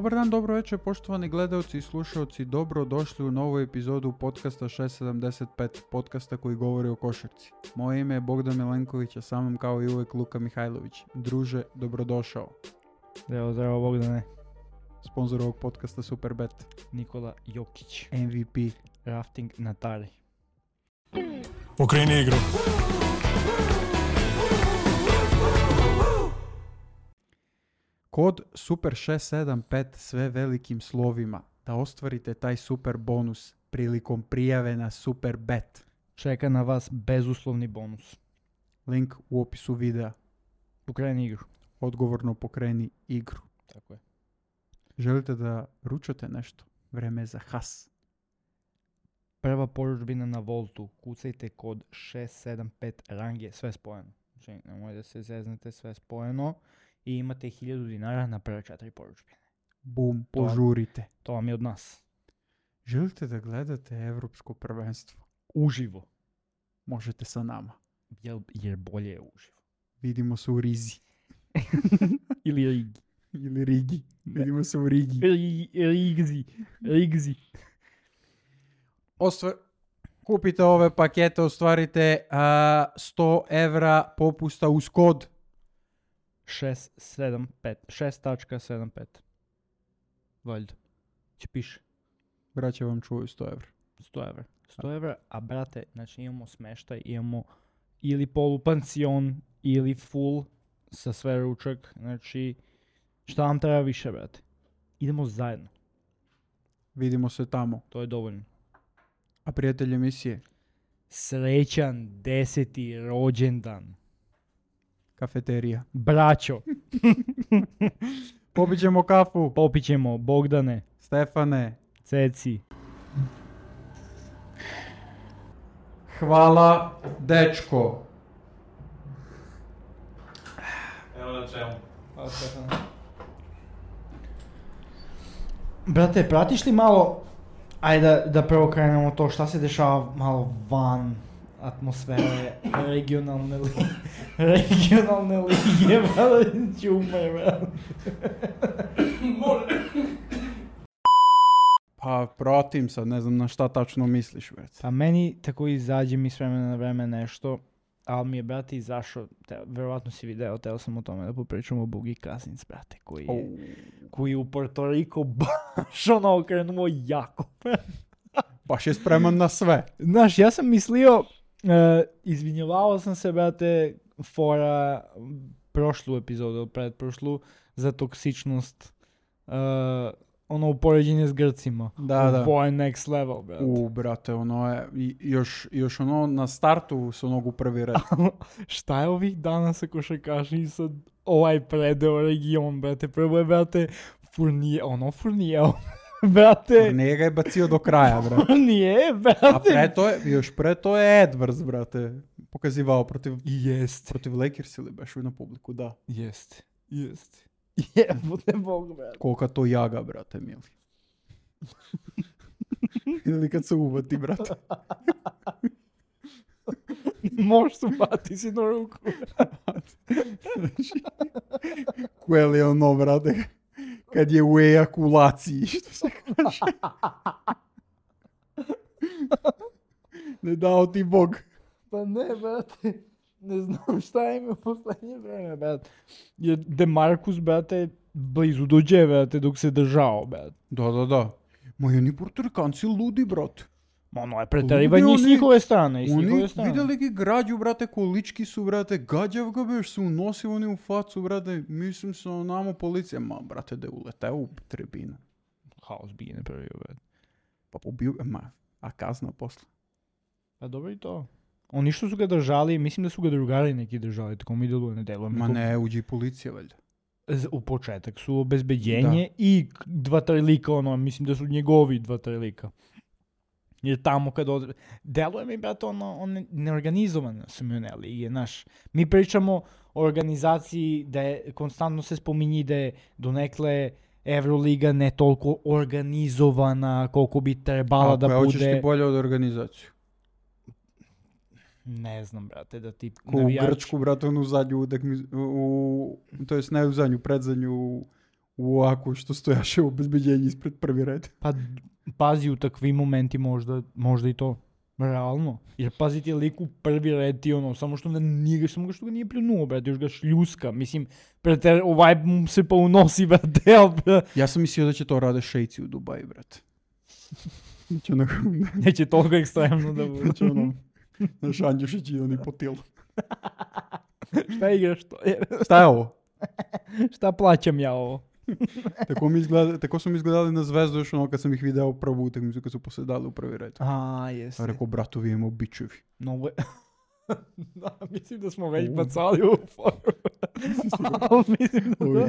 Dobar dan, dobro večer, poštovani gledaoci i slušaoci, dobro došli u novu epizodu podcasta 675, podcasta koji govori o košarci. Moje ime je Bogdan Milenković, a sa mnom kao i uvijek Luka Mihajlović. Druže, dobrodošao. Zdravo Bogdane. Sponzor ovog podcasta Superbet. Nikola Jokić. MVP. Rafting na Tari. Okreni igru. Kod Super675 sve velikim slovima da ostvarite taj super bonus prilikom prijave na Superbet. Čeka na vas bezuslovni bonus. Link u opisu videa. Pokreni igru. Odgovorno pokreni igru. Tako je. Želite da ručate nešto? Vreme je za has. Prva poručbina na Voltu. Kucajte kod 675 range. Sve spojeno. Znači, nemoj da se zeznete, sve spojeno. I imate 1000 dinara na prve 4 poručbine. Bum, požurite. To vam je od nas. Želite da Evropsko prvenstvo? Uživo. Možete sa nama. Jer bolje je uživo. Vidimo se u Rizi. Ili Rigi. Ili Rigi. Vidimo se u Rigi. Rigzi. Kupite ove pakete, ostvarite 100 evra popusta uz kod 6.75. 6.75. Valjda. Če piše. Braće vam čuju 100 evra. 100 evra. 100 evra, a brate, znači imamo smeštaj, imamo ili polupansion, ili full sa sve ručak. Znači, šta vam treba više, brate? Idemo zajedno. Vidimo se tamo. To je dovoljno. A prijatelj emisije? Srećan 10. rođendan. Kafeterija. Braćo. Popićemo kafu. Popićemo, Bogdane. Stefane. Ceci. Hvala, dečko. Evo na čemu. Hvala, Stefane. Brate, pratiš li malo, ajde da prvo krenemo to šta se dešava malo van atmosfere regionalne lige, brate, ćumaj, brate. Pa pratim sad, ne znam na šta tačno misliš, brate. Pa meni tako izađe mi s vremena na vreme nešto, ali mi je, brate, izašao, verovatno si video, teo sam o tome da popričamo o Boogie Cousins, brate, koji u Puerto Rico baš ono okrenuo jako. Baš je spreman na sve. Znaš, ja sam mislio, izvinjavao sam se, brate, fora prošlu epizodu, predprošlu, za toksičnost, ono upoređenje s Grcima. Da. Ovo je next level, brate. Brate, ono je, još ono na startu su onog u prvi red. Šta je ovih dana sa košarkaši sad ovaj predeo region, brate? Prvo je, brate, Furnijeo, brate. Furnije ga je bacio do kraja, brate. Furnije, brate. A pre to je Edwards, brate, pokazivao protiv Lakers ili baš na publiku, da. Jeste. Jebote Bog, brate. Kolika to jaga, brate, mili. Ili kad se uvati, brate. Možeš se upati si na ruku. Kuel je ono, brate, kad je u ejakulaciji, što se kaže. Ne dao ti Bog. Pa ne, brate. Ne znam šta im je u poslednje vreme, brate. Jer DeMarcus, brate, blizu dođe, brate, dok se držao, brate. Da. Ma oni Portorikanci ludi, brate. Ma ono je preterivanje s njihove strane. Oni vidjeli gi građu, brate, količki su, brate, gađav ga beš, su unosili oni u facu, brate, mislim se onamo policija. Ma, brate, da je uleteo u tribinu. Haos bi ne pravio, brate. Pa pobio, a kazna posle. Pa dobro i to. Oni što su ga držali, mislim da su ga drugari neki držali, tako mi deluje, ne deluje. Ma ne, uđi policija, valjda. U početak su obezbeđenje i 2-3 lika, ono, mislim da su njegovi 2-3 lika. Jer tamo kad deluje mi, brate, ono neorganizovano su mi one lige, znaš. Mi pričamo o organizaciji da je, konstantno se spominji da je donekle Euroliga ne toliko organizovana koliko bi trebala da bude. Hoćeš ti bolje od organizaciju? Ne znam, brate, da ti navijač... Ko u Grčku, brate, onu zadnju, to jest ne u zadnju, predzadnju Ако što стояше обезбеđenje ispred prvi red. Pa pazi, u takvim momenti možda i to. Realno. Jer pazi ti je lik u prvi red ti samo što ga nije pljunuo, brate, još ga šljuska. Mislim, brate, ovaj mu se pa unosi, brate, Ja sam mislio da će to rade šejci u Dubaji, brate. Neće toliko ekstremno da bude. Znači naš Andjušić i oni po tilu. Šta igraš to? Šta je ovo? Šta plaćam ja ovo? Tako su mi izgledali na Zvezdu još kad sam ih video prvu utakmicu kad su posedali u prvi red. Jeste. A rekao, bratovi imamo bičevi. No, da, mislim da smo već bacali u foru.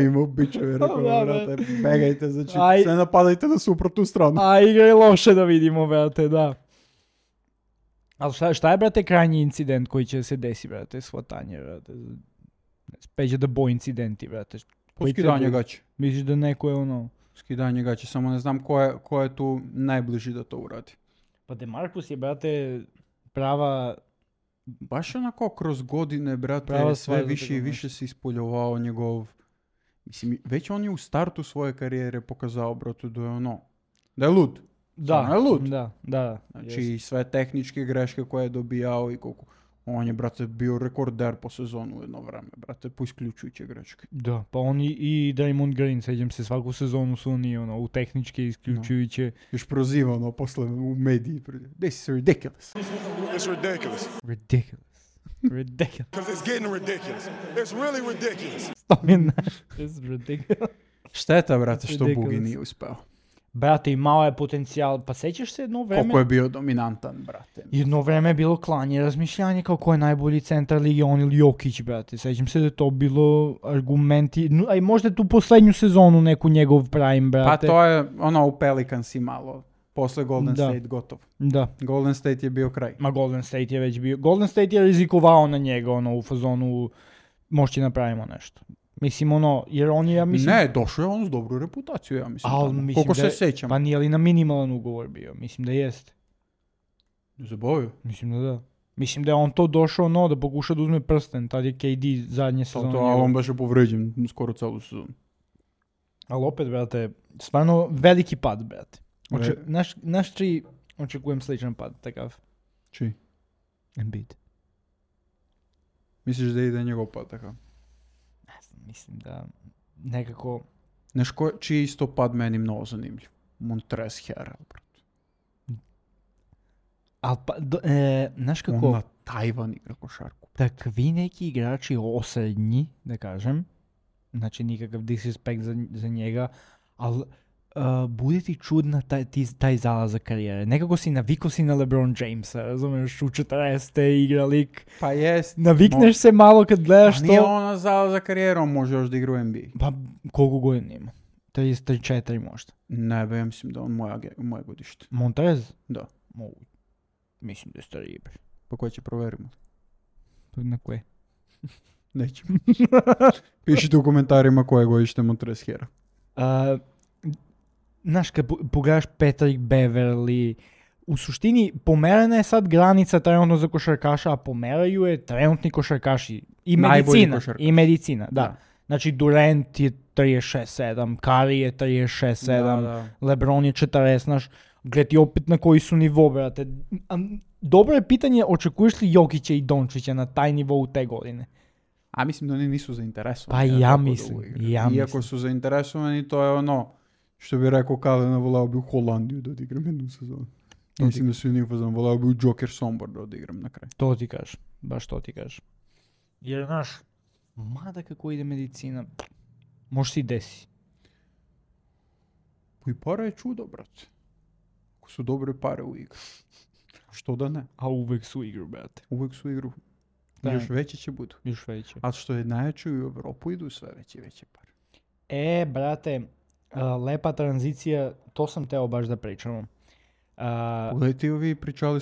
Imamo bičevi, rekao, brate, begajte, znači sve napadajte na suprotnu stranu. A igra je loše da vidimo, brate, da. Ali šta je, brate, krajnji incident koji će se desi, brate, shvatanje, brate? Peđe da bo incidenti, brate. Skidanje gaće. Misliš da neko je Skidanje gaće, samo ne znam ko je tu najbliži da to uradi. Pa DeMarcus je, brate, prava... Baš onako kroz godine, brate, sve više i više se ispoljovao njegov... Mislim, već on je u startu svoje karijere pokazao, brate, da je da je lud. Da, je lud. Da. Znači, i sve tehničke greške koje je dobijao i koliko... On je, brate, bio rekorder po sezonu jedno vreme, brate, po isključujuće greške. Da, pa on i Draymond Green, seđam se, svaku sezonu su oni, u tehničke isključujuće. Još proziva, posle u mediji. This is ridiculous. It's ridiculous. Ridiculous. Because it's getting ridiculous. It's really ridiculous. It's ridiculous. Šteta, brate, što Bugi nije uspeo. Brate, imao je potencijal, pa sećaš se jedno vreme... Koliko je bio dominantan, brate. Jedno vreme je bilo klanje, razmišljanje kao ko je najbolji centar lige, on ili Jokić, brate. Sećam se da je to bilo argumenti, a i možda tu poslednju sezonu neku njegov prime, brate. Pa to je u Pelicans i malo. Posle Golden State gotov. Da. Golden State je bio kraj. Ma Golden State je već bio. Golden State je rizikovao na njega, u fazonu moći napravimo nešto. Mislim, jer on je, ja mislim... Ne, došao je on s dobru reputaciju, ja mislim. Koliko se sećam. Pa nije li na minimalan ugovor bio? Mislim da jeste. Zabavio? Mislim da da. Mislim da je on to došao, da pokuša da uzme prsten, tad je KD zadnje sezone. Ali on baš je povređen skoro celu sezonu. Ali opet, brate, stvarno veliki pad, brate. Naš čiji očekujem sličan pad, takav. Čiji? Embiid. Misliš da ide njegov pad, takav? Mislim da nekako... čiji isto pad meni mnogo zanimljiv. Montrezl Harrell, brate. Ali pa, znaš kako... On na Tajvan igra košarku. Takvi neki igrači osrednji, da kažem, znači nikakav disrespekt za njega, ali bude ti čudna taj zalazak karijere. Nekako navikao si na LeBron Jamesa, razumeš, u 40. igra lik. Pa jest. Navikneš se malo kad gledaš to. Nije on zalazak karijere, on može još da igra u NBA. Pa koliko godina ima? 34 možda. Ne, ja mislim da on moje godište. Montrez? Da. Mislim da je stariji. Pa koje će proverimo? Na koje? Nećemo. Pišite u komentarima koje godište Montrezl Harrell. Znaš, kad pogledaš Patrick Beverly, u suštini pomerana je sad granica trenutno za košarkaša, a pomeraju je trenutni košarkaši. I medicina, da. Znači, Durant je 36-7, Curry je 36-7, LeBron je 40, znaš, gled ti opet na koji su nivo, brate. Dobro je pitanje, očekuješ li Jokića i Dončića na taj nivo u te godine? A mislim da oni nisu zainteresovani. Pa ja mislim. Iako su zainteresovani, to je što bi rekao Kalena, volao bi u Holandiju da odigram jednu sezonu. Mislim da su jednim fazom, volao bi u Joker Sombor da odigram na kraju. To ti kažeš, baš to ti kažeš. Jer, znaš, mada kako ide medicina, može si desi. I para je čudo, brate. Ako su dobre pare u igru. Što da ne? A uvek su igru, brate. Uvek su igru. Još veće će budu. Još veće. A što je najjače u Evropu idu sve veće pare. Brate, lepa tranzicija, to sam teo baš da pričamo. Pogledajte ovi, pričali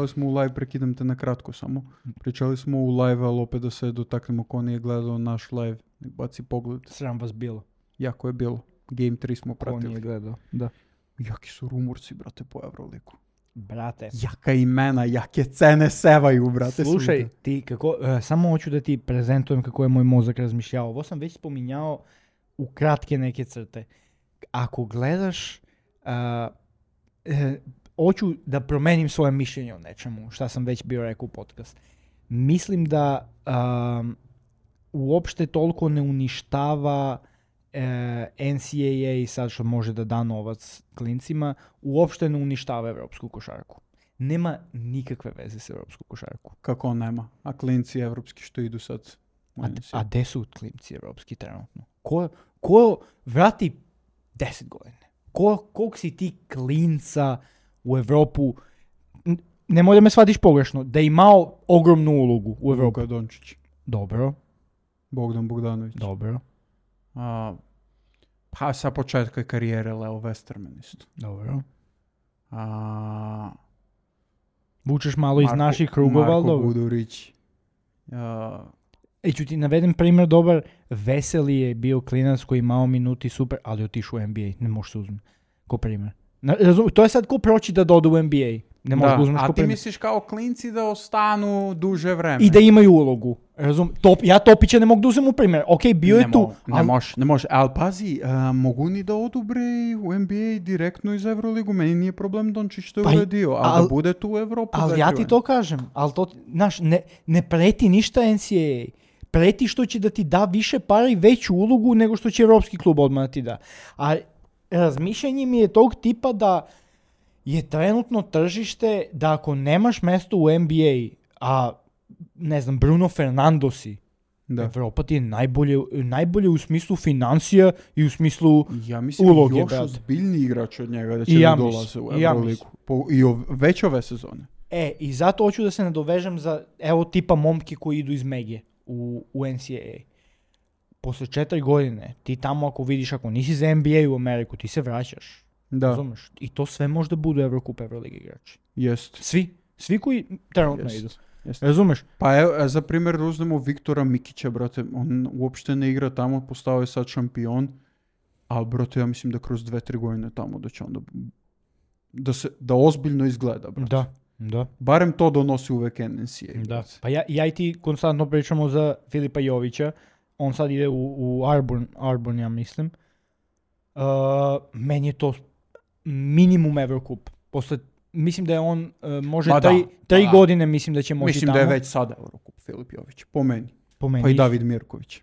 smo u live, prekidam te na kratko samo. Pričali smo u live, ali opet da se dotaknemo ko nije gledao naš live. Baci pogled. Sram vas bilo. Jako je bilo. Game 3 smo pratili. Ko nije gledao, da. Jaki su rumorci, brate, po Euroliku. Brate. Jaka imena, jake cene sevaju, brate. Slušaj, ti kako, samo hoću da ti prezentujem kako je moj mozak razmišljao. Ovo sam već spominjao u kratke neke crte. Ako gledaš, hoću da promenim svoje mišljenje o nečemu, šta sam već bio rekao u podcast. Mislim da uopšte toliko ne uništava NCAA sad što može da da novac klincima, uopšte ne uništava evropsku košarku. Nema nikakve veze s evropsku košarku. Kako nema? A klinci evropski što idu sad? A gde su klinci evropski trenutno? Ko vrati 10 godine? Koliko si ti klinca u Evropu, nemoj da me shvatiš pogrešno, da je imao ogromnu ulogu u Evropu? Luka Dončić. Dobro. Bogdan Bogdanović. Dobro. Pa sa početka karijere Leo Westerman isto. Dobro. Vučeš malo iz naših krugova, ali dobro. Marko Gudurić. Ću ti navedem primjer dobar. Veseli je bio klinac koji imao minuti super, ali otišao u NBA. Ne možeš se uzmeti. Ko primjer. To je sad ko proći da dođe u NBA. Ne možeš da uzmeš ko primjer. A ti misliš kao klinci da ostanu duže vreme. I da imaju ulogu. Ja Topića ne mogu da uzem u primjer. Ok, bio je tu. Ne može. Ali pazi, mogu ni da odubre u NBA direktno iz Euroligu. Meni nije problem Dončić što je uradio, ali da bude tu u Evropu. Ali ja ti to kažem. Ali to, znaš, ne preti ništa NCAA. Preti što će da ti da više para i veću ulogu nego što će evropski klub odmah da ti da. A razmišljanje mi je tog tipa da je trenutno tržište da ako nemaš mesto u NBA, a ne znam, Bruno Fernando si, Evropa ti je najbolje u smislu financija i u smislu uloge. Ja mislim još ozbiljniji igrač od njega da će da dolaze u Euroligu. I već ove sezone. I zato hoću da se nadovežem za evo tipa momke koji idu iz Mege u NCAA. Posle 4 godine, ti tamo ako vidiš, ako nisi za NBA u Ameriku, ti se vraćaš. Da. Razumeš? I to sve možda budu Evrokup, Euroliga igrači. Jest. Svi koji trenutno idu. Jest. Razumeš? Pa evo, za primjer uzmemo Viktora Mikića, brate, on uopšte ne igra tamo, postao je sad šampion, ali brate, ja mislim da kroz 2-3 godine tamo da će onda da ozbiljno izgleda, brate. Da. Barem to donosi uvek NCAA. Da. Pa ja i ti konstantno pričamo za Filipa Jovića. On sad ide u Auburn, ja mislim. Meni je to minimum Eurocup. Mislim da je on može 3 godine, mislim da će moći mislim tamo. Mislim da je već sada Eurocup Filip Jović. Po meni. Pa i David Mirković.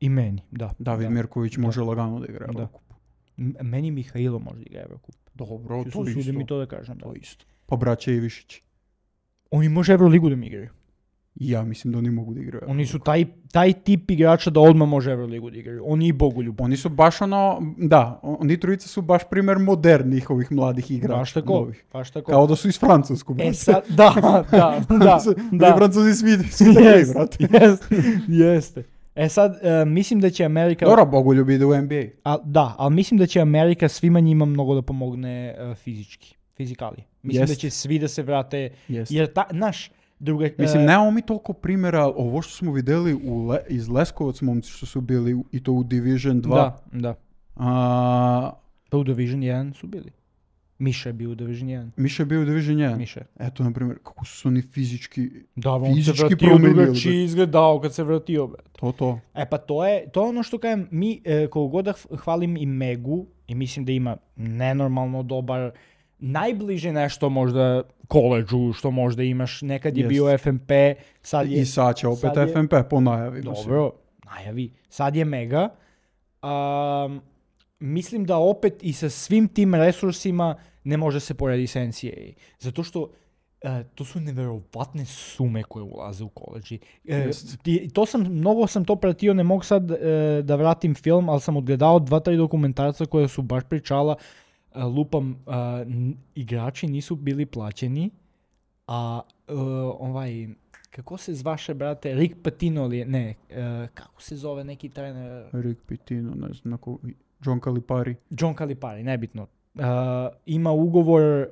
I meni, da. David Mirković može lagano da igra Eurocup. Meni Mihajlo može da igra Eurocup. Dobro, to isto. Sudim mi to da kažem. To isto. Pa braća Ivišić. Oni može Euroligu da mi igraju. Ja mislim da oni mogu da igraju. Oni su taj tip igrača da odmah može Euroligu da igraju. Oni i Bogoljub. Oni su baš oni trojica su baš primjer modernih ovih mladih igrača. Baš tako. Kao da su iz Francuskog. Sad, da. Francuzi svi takvi, brate. Jeste. Sad, mislim da će Amerika... Dobro, Bogoljub ide u NBA. Ali mislim da će Amerika svima njima mnogo da pomogne fizikali. Mislim da će svi da se vrate. Jer mislim, nemamo mi toliko primjera, ovo što smo vidjeli iz Leskovac momci što su bili i to u Division 2. Da. Pa u Division 1 su bili. Miša je bio u Division 1. Miša je bio u Division 1? Miša. Eto, na primjer, kako su oni fizički on se vratio drugačiji izgledao kad se vratio. To. Pa to je ono što kažem, mi koliko god da hvalim i Megu, i mislim da ima nenormalno dobar, najbliže nešto možda koleđu što možda imaš, nekad je bio FNP, sad je... I sad će opet FNP po najavi. Dobro, najavi. Sad je Mega. Mislim da opet i sa svim tim resursima ne može se porediti sa NCAA. Zato što to su neverovatne sume koje ulaze u koleđi. Mnogo sam to pratio, ne mogu sad da vratim film, ali sam odgledao 2-3 dokumentarca koja su baš pričala. Igrači nisu bili plaćeni, a kako se zvaše, brate, Rick Pitino li je, kako se zove neki trener? Rick Pitino, ne znam, John Calipari, nebitno. Ima ugovor,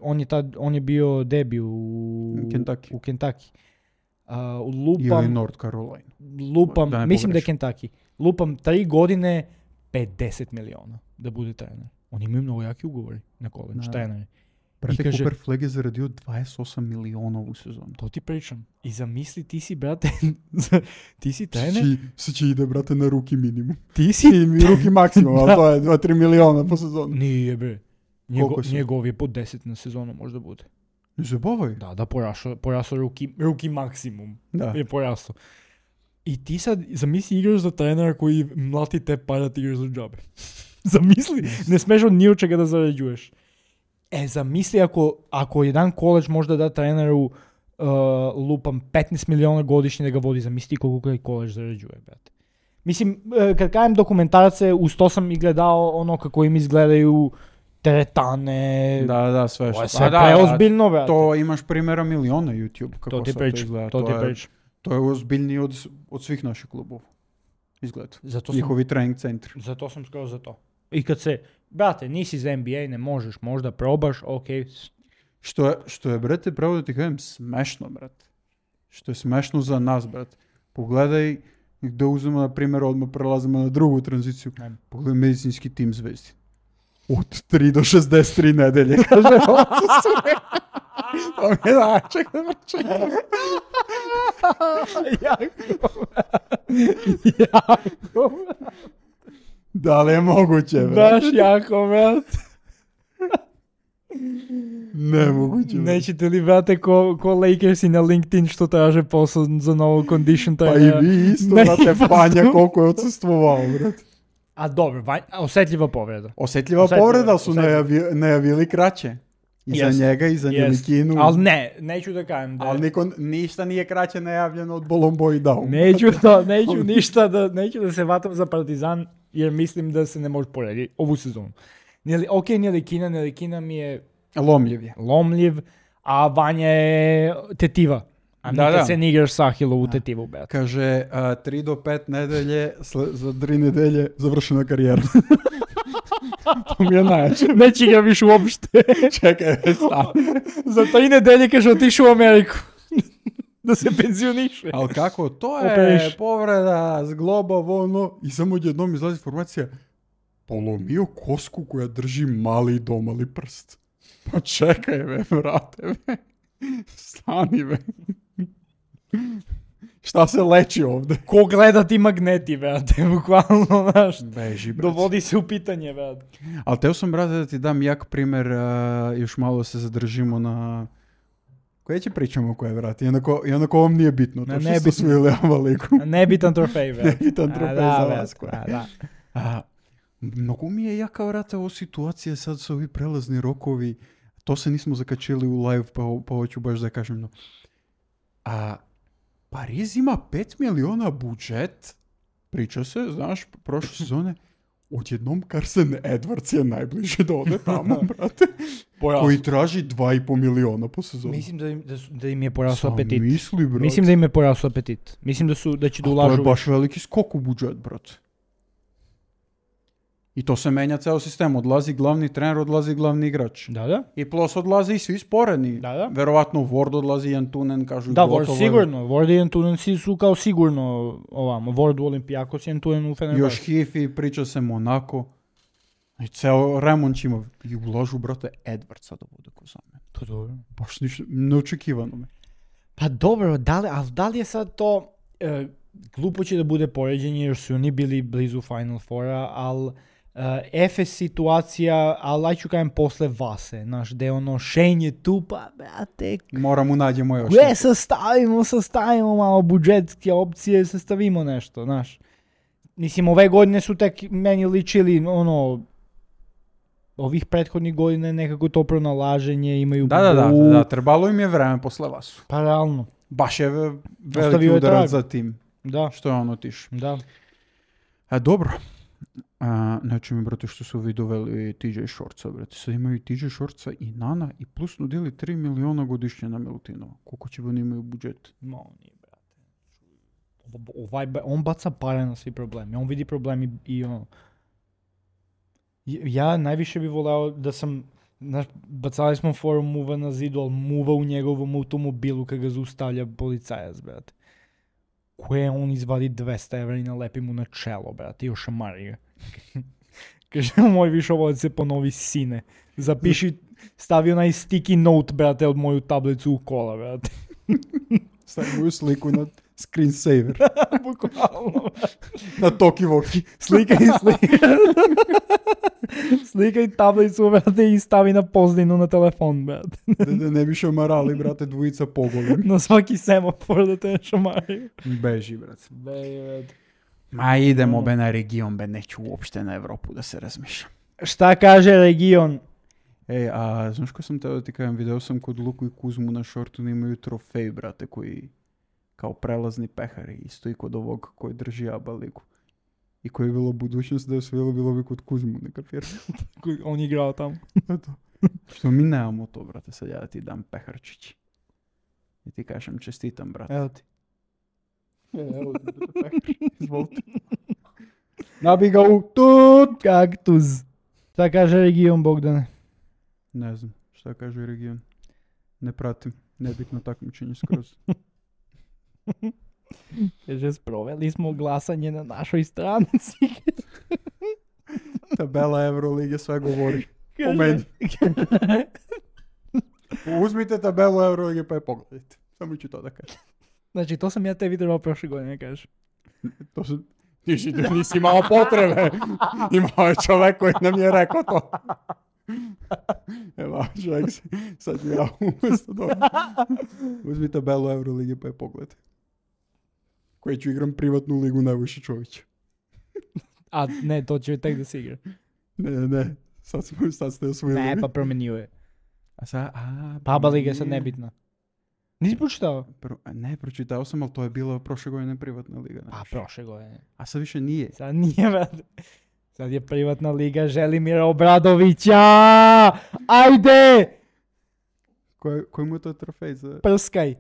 on je bio debi u Kentucky. Ili North Carolina. Mislim da je Kentucky. Lupam 3 godine, 50 miliona da bude trener. Oni imaju mnogo jaki ugovori na koleđ, treneri. Брате, И каже- Купер Флег е зарадил 28 милиона у сезон. То ти причам. И замисли, ти си, брате, ти си тренер, Се иде, брате, на руки минимум. ти си... И руки максимум, Да. а това е 2-3 милиона по сезон. Nije, bе. Колко са? Njegovi je po 10 na sezonu može da bude. Не забавай. Da, porasao ruki maksimum. Да. Je porasao. I ti sad, zamisli igraš za trenera koji mlati te para, ti igraš za džabe. Zamisli, ne smeš od ni od čega da zarađuješ. Zamisli ako jedan koleđ možda da treneru lupam 15 miliona godišnje da ga vodi, zamisli koliko taj koleđ zarađuje, brate. Mislim, kad kajem dokumentarce, uz to sam i gledao ono kako im izgledaju teretane, Да, све to je што. sve preozbiljno, brate. То имаш примера милиона YouTube To како ti sad pričam, изгледа. to ti pričam. Тоа е озбилнiji од свих наших клубов. Изгледа. Zato sam, Нjihovi тренинг центри. zato sam skoro za to. I kad se, brate, nisi za NBA, ne možeš, možda probaš, okej. Што е, брате, право да ти кажем, смешно, брат. Што е смешно за нас, брат. Погледај, да узема, например, одма прелазиме на другу транзицiju. Ајде. Погледај медицински тим звезди. Од 3 до 63 неделje, каже. Тоа ми е начек да прочекам. Jako. Дали е могуќе, брат? Baš jako, brate. Немогуќе. брат. Nećete li, brate, ko Lakersi na LinkedIn što traže posao za novo condition Па и trenera? ви исто, Не, брате, па Пања колку е отсуствувал, брат. A dobro, osjetljiva povreda. Осетлива Осетлива, повреда су осетлива. најавили краće. И за Jest. njega, i za Njelikinu. Ali ne, neću da kažem da... Ali ništa nije kraće najavljeno od Bolombo i Daum. Neću da se vatam za Partizan, jer mislim da se ne može porediti ovu sezonu. Njelikina mi je Lomljiv je. lomljiv, a Vanja je tetiva. A Da, nikad da. se ne igraš sa Ahilovu tetivu, brate. Kaže, 3 do 5 nedelje, za 3 nedelje završena karijera. To mi je najjače. Neće ga više uopšte. Čekaj, stani. Za 3 nedelje kaže otišao u Ameriku. Da se penzioniše. Ali kako, to je Operiš. povreda, zgloba, ono, i samo odjednom izlazi informacija, polomio kosku koja drži mali i domali prst. Pa čekaj, be, brate, be. Stani, be. Šta se leči ovde? Ko gleda ti magneti, brate, bukvalno, znaš. Beži, brate. Dovodi se u pitanje, brate. Ali teo sam, brate, da ti dam jak primer, još malo se zadržimo na... Koje će pričamo koje, brate? Iako ovom nije bitno, to Na što nebitno. ste osvojili Avaliku. Nebitan trofej, brate. Nebitan trofej za vas, brate, koja. da. Mnogo mi je jaka, vrate, ovo situacija sad su ovi prelazni rokovi. To se nismo zakačili u live, pa hoću baš da kažem. No. Pariz ima 5 miliona budžet. Priča se, znaš, prošle sezone. Odjednom Carson Edwards je najbliže da ode tamo, brate. Koji traži 2,5 miliona po sezonu. Mislim da im je porasao apetit. Misli, brate. Mislim da im je porasao apetit. Mislim da će da To ulažu. je baš veliki skok u budžet, brate. I to se menja ceo sistem. Odlazi glavni trener, odlazi glavni igrač. Da. I plus odlazi i svi sporedni. Da. Verovatno Ward odlazi, Jantunen, kažu Da, gotovo. Ward sigurno. Ward i Antunen su kao sigurno ovamo. Ward u Olimpijakos i Antunen u Fenerbahču. Još Hifi, priča se Monako. I ceo remont će ima. I ulažu, brate, Edwardsa da bude ko za mene. To dobro. Baš ništa, neočekivano me. Pa dobro, da li je sad to... glupo će da bude poređenje jer su oni bili blizu Final Fora, ali Efes situacija, ali aj ću kajem posle Vase, znaš, gde ono Shane je tu, pa brate, Moramo nađemo još. gdje sastavimo malo budžetske opcije, sastavimo nešto, znaš. Mislim, ove godine su tek meni ličili, ono, ovih prethodnih godina nekako to pronalaženje, imaju... Da, trebalo im je vreme posle Vasu. Pa realno, Baš je veliki Ostavio je udarac trag. za tim. da, Što je on otišao. da. Dobro. Znači mi, brate, što su ovi doveli TJ Shortsa, brate. Sad imaju TJ Shortsa i Nana i plus nudili 3 miliona godišnje na Milutinova. Koliko će oni imaju budžet? Ma, nije, brate. On baca pare na svi problemi. On vidi problemi i ono... Ja najviše bih voleo da sam... Znaš, bacali smo forum muva na zidu, ali muva u njegovom automobilu kad ga zaustavlja policajac, brate. Koje on izvadi 200 evra i nalepi mu na čelo, brate, i ošamari ga. Kaže, moj višovac se ponovi sine. Zapiši, stavi onaj sticky note, brate, od moju tablicu u kola, brate. Stavi moju sliku na screensaver. Bukvalno. Na Toki Voki. Slikaj tablicu, brate, i stavi na pozdinu na telefon, brate. Da ne bi šamarali, brate, dvojica pogolem. Na svaki semafor da te šamaraju. Beži, brate. Brate. Ma idemo be na region, be neću uopšte na Evropu da se razmišljam. Šta kaže region? Ej, a znaš ko sam teo da ti kažem, video sam kod Luku i Kuzmu na šortu da imaju trofej, brate, koji kao prelazni pehari, isto i kod ovog koji drži ABA ligu. I koji je bilo budućnost da je osvijelo, bilo bi kod Kuzmu, ne kapiram. On je igrao tamo. Što mi nemamo to, brate, sad ja da ti dam peharčići. I ti kažem čestitam, brate. Evo ti. Evo ti, brate, pehar. Izvolite. Nabi ga u tut! Kaktus. Šta kaže region, Bogdane? Ne znam šta kaže region. Ne pratim. Nebitno takmičenje skroz. Kaže, sproveli smo glasanje na našoj stranici. Tabela Eurolige sve govori. O meni. Uzmite tabelu Eurolige pa je pogledajte. Samo ću to da kažem. Znači, to sam ja te vidio prošle godine, kažeš. To su... Nisi imao potrebe. Imao je čovek koji nam je rekao to. Evo, čovjek sad ću ja umjesto dobro. Uzmi tabelu Eurolige pa je pogledaj. Koji ću igram privatnu ligu Nebojša Čovića. A ne, to će tek da se igra. Ne. Sad ste osvojili. Ne, pa promenio je. A sad, Pa ABA liga je sad nebitna. Nisi pročitao? Ne, pročitao sam, ali to je bilo prošle godine privatna liga. Pa prošle godine. A sad više nije. Sad nije, brate. Sad je privatna liga Želimira Obradovića! Ajde! Koji mu je to trofej za... Prskaj.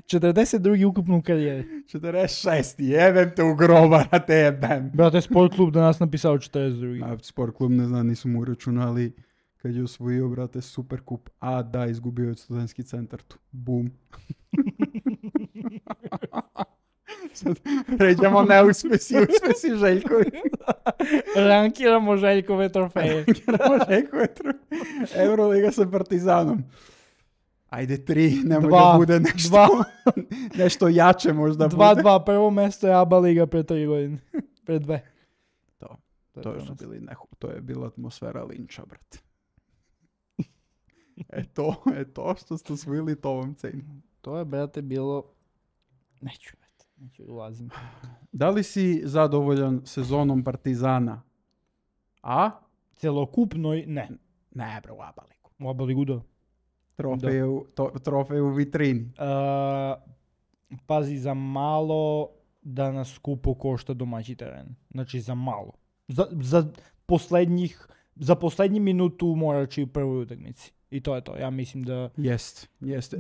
42. ukupno u karijeri. 46. Jebem te u groba, a te jebem. Brate, sport klub da nas napisao 42. A sport klub ne znam, nisu mu računali kad je osvojio, brate, super kup. A da, izgubio je studentski centar tu. Bum. Sad pređemo neuspesi Željkovi. Rankiramo Željkove trofeje. Euroliga sa Partizanom. Ajde 3, nemoj da bude nešto jače možda bude. 2-2, prvo mjesto je ABA liga pre 3 godine. Pre 2. To je bila atmosfera linča, brate. To što ste osvojili, to vam cenim. To je, brate, bilo... Neću ulazim. Da li si zadovoljan sezonom Partizana? A? Celokupnoj, ne. Ne, bro, u ABA ligu. U ABA ligu, da. Trofej u vitrini. Pazi, za malo da nas skupo košta domaći teren. Znači, za malo. Za poslednji minutu morat će u prvoj utakmici. I to je to. Ja mislim da... Jest.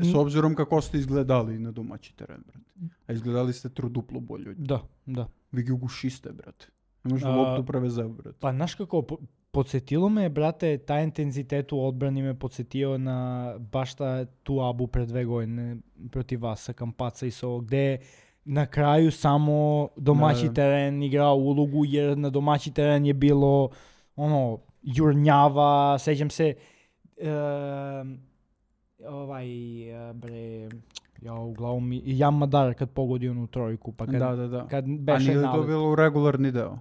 S obzirom kako ste izgledali na domaći teren, brate. A izgledali ste truduplo bolje. Da. Vi ga ugušiste, brate. Ne možda loptu prevezeo, brate. Pa znaš kako, podsjetilo me, brate, taj intenzitet u odbrani me podsjetio na baš tu ABU pre 2 godine protiv vas sa Kampaca i Sovo, gde na kraju samo domaći teren igrao ulogu, jer na domaći teren je bilo jurnjava, sećam se uglavnom Jan Madar kad pogodi onu trojku, pa kad beše a nije to bilo u regularni deo?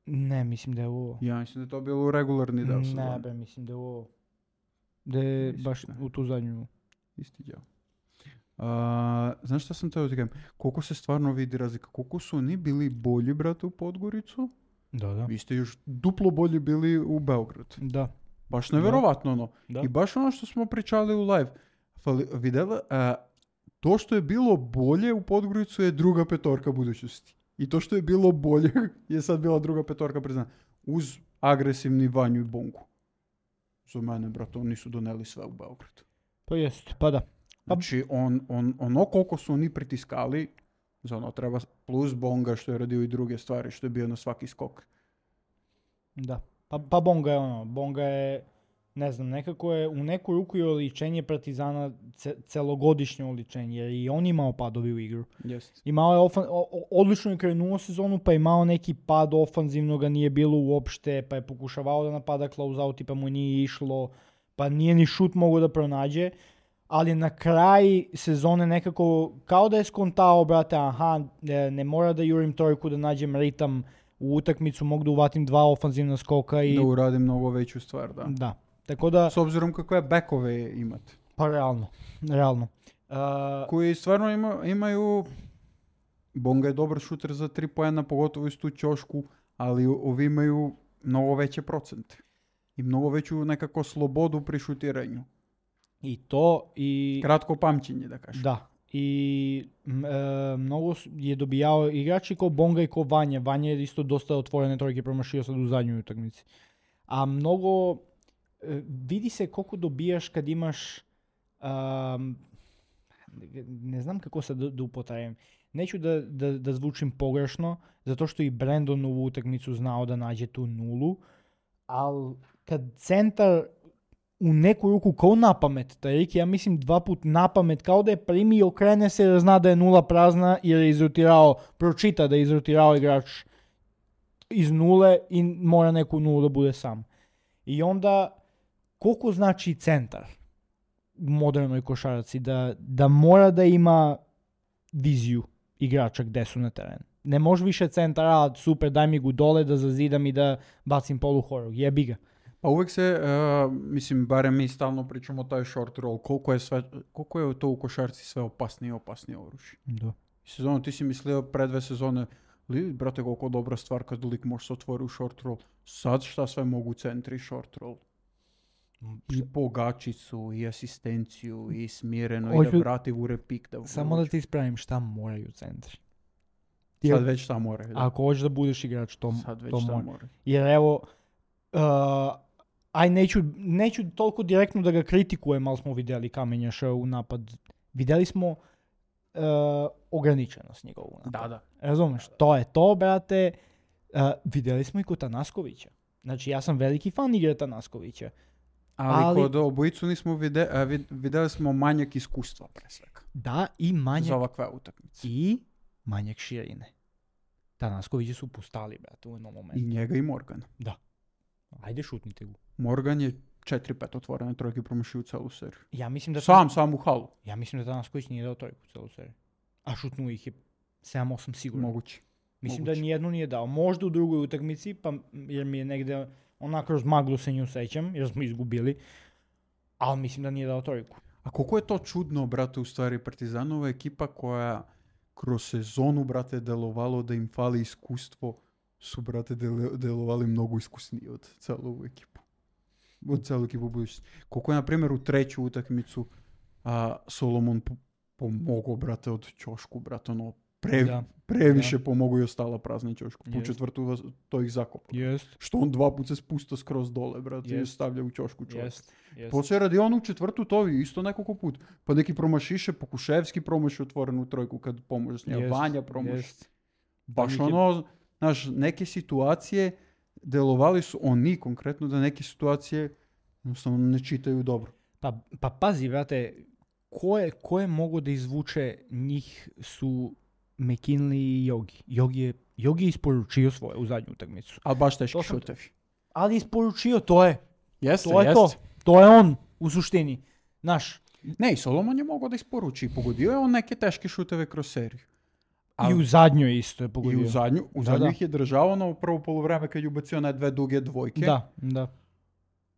Ne, mislim da je ovo. Ja mislim da je to bilo u regularni deo sezone. Ne, mislim da je ovo. Da je baš u tu zadnju. Isti deo. Znaš šta sam teo ti kažem? Koliko se stvarno vidi razlika? Koliko su oni bili bolji, brate, u Podgoricu? Da. Vi ste još duplo bolji bili u Beograd. Da. Baš neverovatno ono. Da. I baš ono što smo pričali u live. Videla, to što je bilo bolje u Podgoricu je druga petorka budućnosti. I to što je bilo bolje je sad bila druga petorka priznana. Uz agresivni Vanju i Bongu. Za mene, brate, oni su doneli sve u Beogradu. To jest, pa da. Znači, ono koliko su oni pritiskali, za ono treba plus Bonga što je radio i druge stvari, što je bio na svaki skok. Da. Pa Bonga je ne znam, nekako je u neku ruku je oličenje Partizana celogodišnje oličenje, jer i on imao padovi u igru. Jest. Imao je odlično je krenuo sezonu, pa je imao neki pad ofanzivno, ga nije bilo uopšte, pa je pokušavao da napada close-outi, pa mu nije išlo, pa nije ni šut mogao da pronađe, ali na kraj sezone nekako, kao da je skontao, brate, ne mora da jurim trojku, da nađem ritam u utakmicu, mogu da uvatim 2 ofanzivna skoka i... Da uradim mnogo veću stvar, da. Da, tako da... S obzirom kakve bekove imate. Pa realno. Koji stvarno imaju... Bonga je dobar šuter za 3 poena, pogotovo istu ćošku, ali ovi imaju mnogo veće procente. I mnogo veću nekako slobodu pri šutiranju. I to i... Kratko pamćenje, da kažem. Da. I mnogo je dobijao igrači kao Bonga i kao Vanja. Vanja je isto dosta otvorene trojke promašio sad u zadnjoj utakmici. A mnogo... vidi se koliko dobijaš kad imaš... ne znam kako sad da upotrebijem. Neću da zvučim pogrešno, zato što i Brandon u utakmicu znao da nađe tu nulu, ali kad centar u neku ruku kao napamet, Tarik, ja mislim 2 put napamet, kao da je primi i okrene se jer zna da je nula prazna jer je izrotirao, pročita da je izrotirao igrač iz nule i mora neku nulu da bude sam. I onda, koliko znači centar u modernoj košarci, da mora da ima viziju igrača gde su na terenu. Ne može više centar, super, daj mi gu dole da zazidam i da bacim polu horog, jebi ga. Pa uvijek se, mislim, barem mi stalno pričamo o taj short roll, koliko je to u košarci sve opasnije i opasnije oružje. Da. Sezonu ti si mislio pre 2 sezone, brate, koliko dobra stvar kad lik može se otvori u short roll. Sad šta sve mogu centri short roll? I pogačicu, i asistenciju, i smireno, i da vrati u repik. Samo da ti ispravim šta moraju centri. Sad već šta moraju. Da. Ako hoćeš da budeš igrač, to mora. Jer evo, neću toliko direktno da ga kritikujem, ali smo vidjeli Kamenjaša u napad. Vidjeli smo ograničenost njegovu napad. Da. Razumeš, to je to, brate. Vidjeli smo i kod Tanaskovića. Znači, ja sam veliki fan igre Tanaskovića. Ali kod obojicu nismo vidjeli smo manjak iskustva pre svega. Da, i manjak... Za ovakve utakmice. I manjak širine. Tanaskovići su pustali, brate, u jednom momentu. I njega i Morgan. Da. Ajde, šutnite gu. Morgan je 4-5 otvorene trojke promašio u celu seriju. Ja mislim da... Sam u halu. Ja mislim da Tanasković nije dao trojku u celu seriju. A šutnuo ih je 7-8 sigurno. Moguće. Mislim da nijednu nije dao. Možda u drugoj utakmici, pa jer mi je negde onako kroz maglu se nju sećam, jer smo izgubili. Ali mislim da nije dao trojku. A koliko je to čudno, brate, u stvari Partizanova ekipa koja kroz sezonu, brate, delovalo da im fali iskustvo, su, brate, delovali mnogo iskusniji od celu ekipu. Od celu ekipu budućnosti. Koliko je, na primjer, u 3. utakmicu Solomon pomogao, brate, od ćošku, brate, ono, previše pomogao i ostala prazna ćošku. Po 4. to ih zakopa. Što on 2 puta se spustao skroz dole, brate, i stavlja u ćošku čovjek. Poslije radi on u 4. to isto nekoliko puta. Pa neki promašiše, Pokuševski promaši otvorenu trojku kad pomože s njega. Vanja promaši. Baš ono, znaš, neke situacije delovali su oni konkretno da neke situacije jednostavno ne čitaju dobro. Pa pazi, brate, ko je mogo da izvuče njih su McKinley i Yogi. Yogi je isporučio svoje u zadnju utakmicu. Ali baš teški šutevi. Ali isporučio, to je. Jeste. To je on u suštini. Naš. Ne, i Solomon je mogao da isporuči. Pogodio je on neke teške šuteve kroz seriju. I u zadnjoj isto je pogodio. I u zadnju ih je držao na prvo poluvreme kad je ubacio na 2 duge dvojke. Da.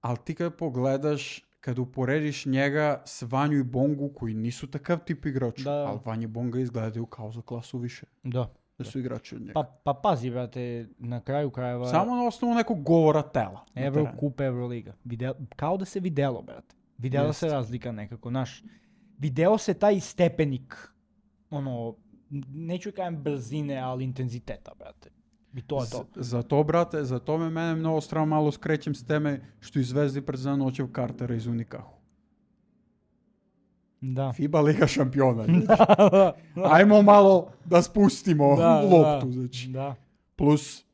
Ali ti kad pogledaš, kad uporediš njega s Vanju i Bongu, koji nisu takav tip igrača, ali Vanja i Bonga izgledaju kao za klasu više. Da su igrači od njega. Pa pazi, brate, na kraju krajeva... Samo na osnovu nekog govora tela. Kup Euroliga. Kao da se videlo, brate. Videla se razlika nekako, znaš. Video se taj stepenik, neću kajem brzine, ali intenziteta, brate. I to je to. Zato, brate, zato mene mnogo strano malo skrećem s teme što izvezli pred zanoćev Cartera iz Unikahu. Da. FIBA Liga šampiona. Ajmo malo da spustimo loptu. Znači. Da. Plus,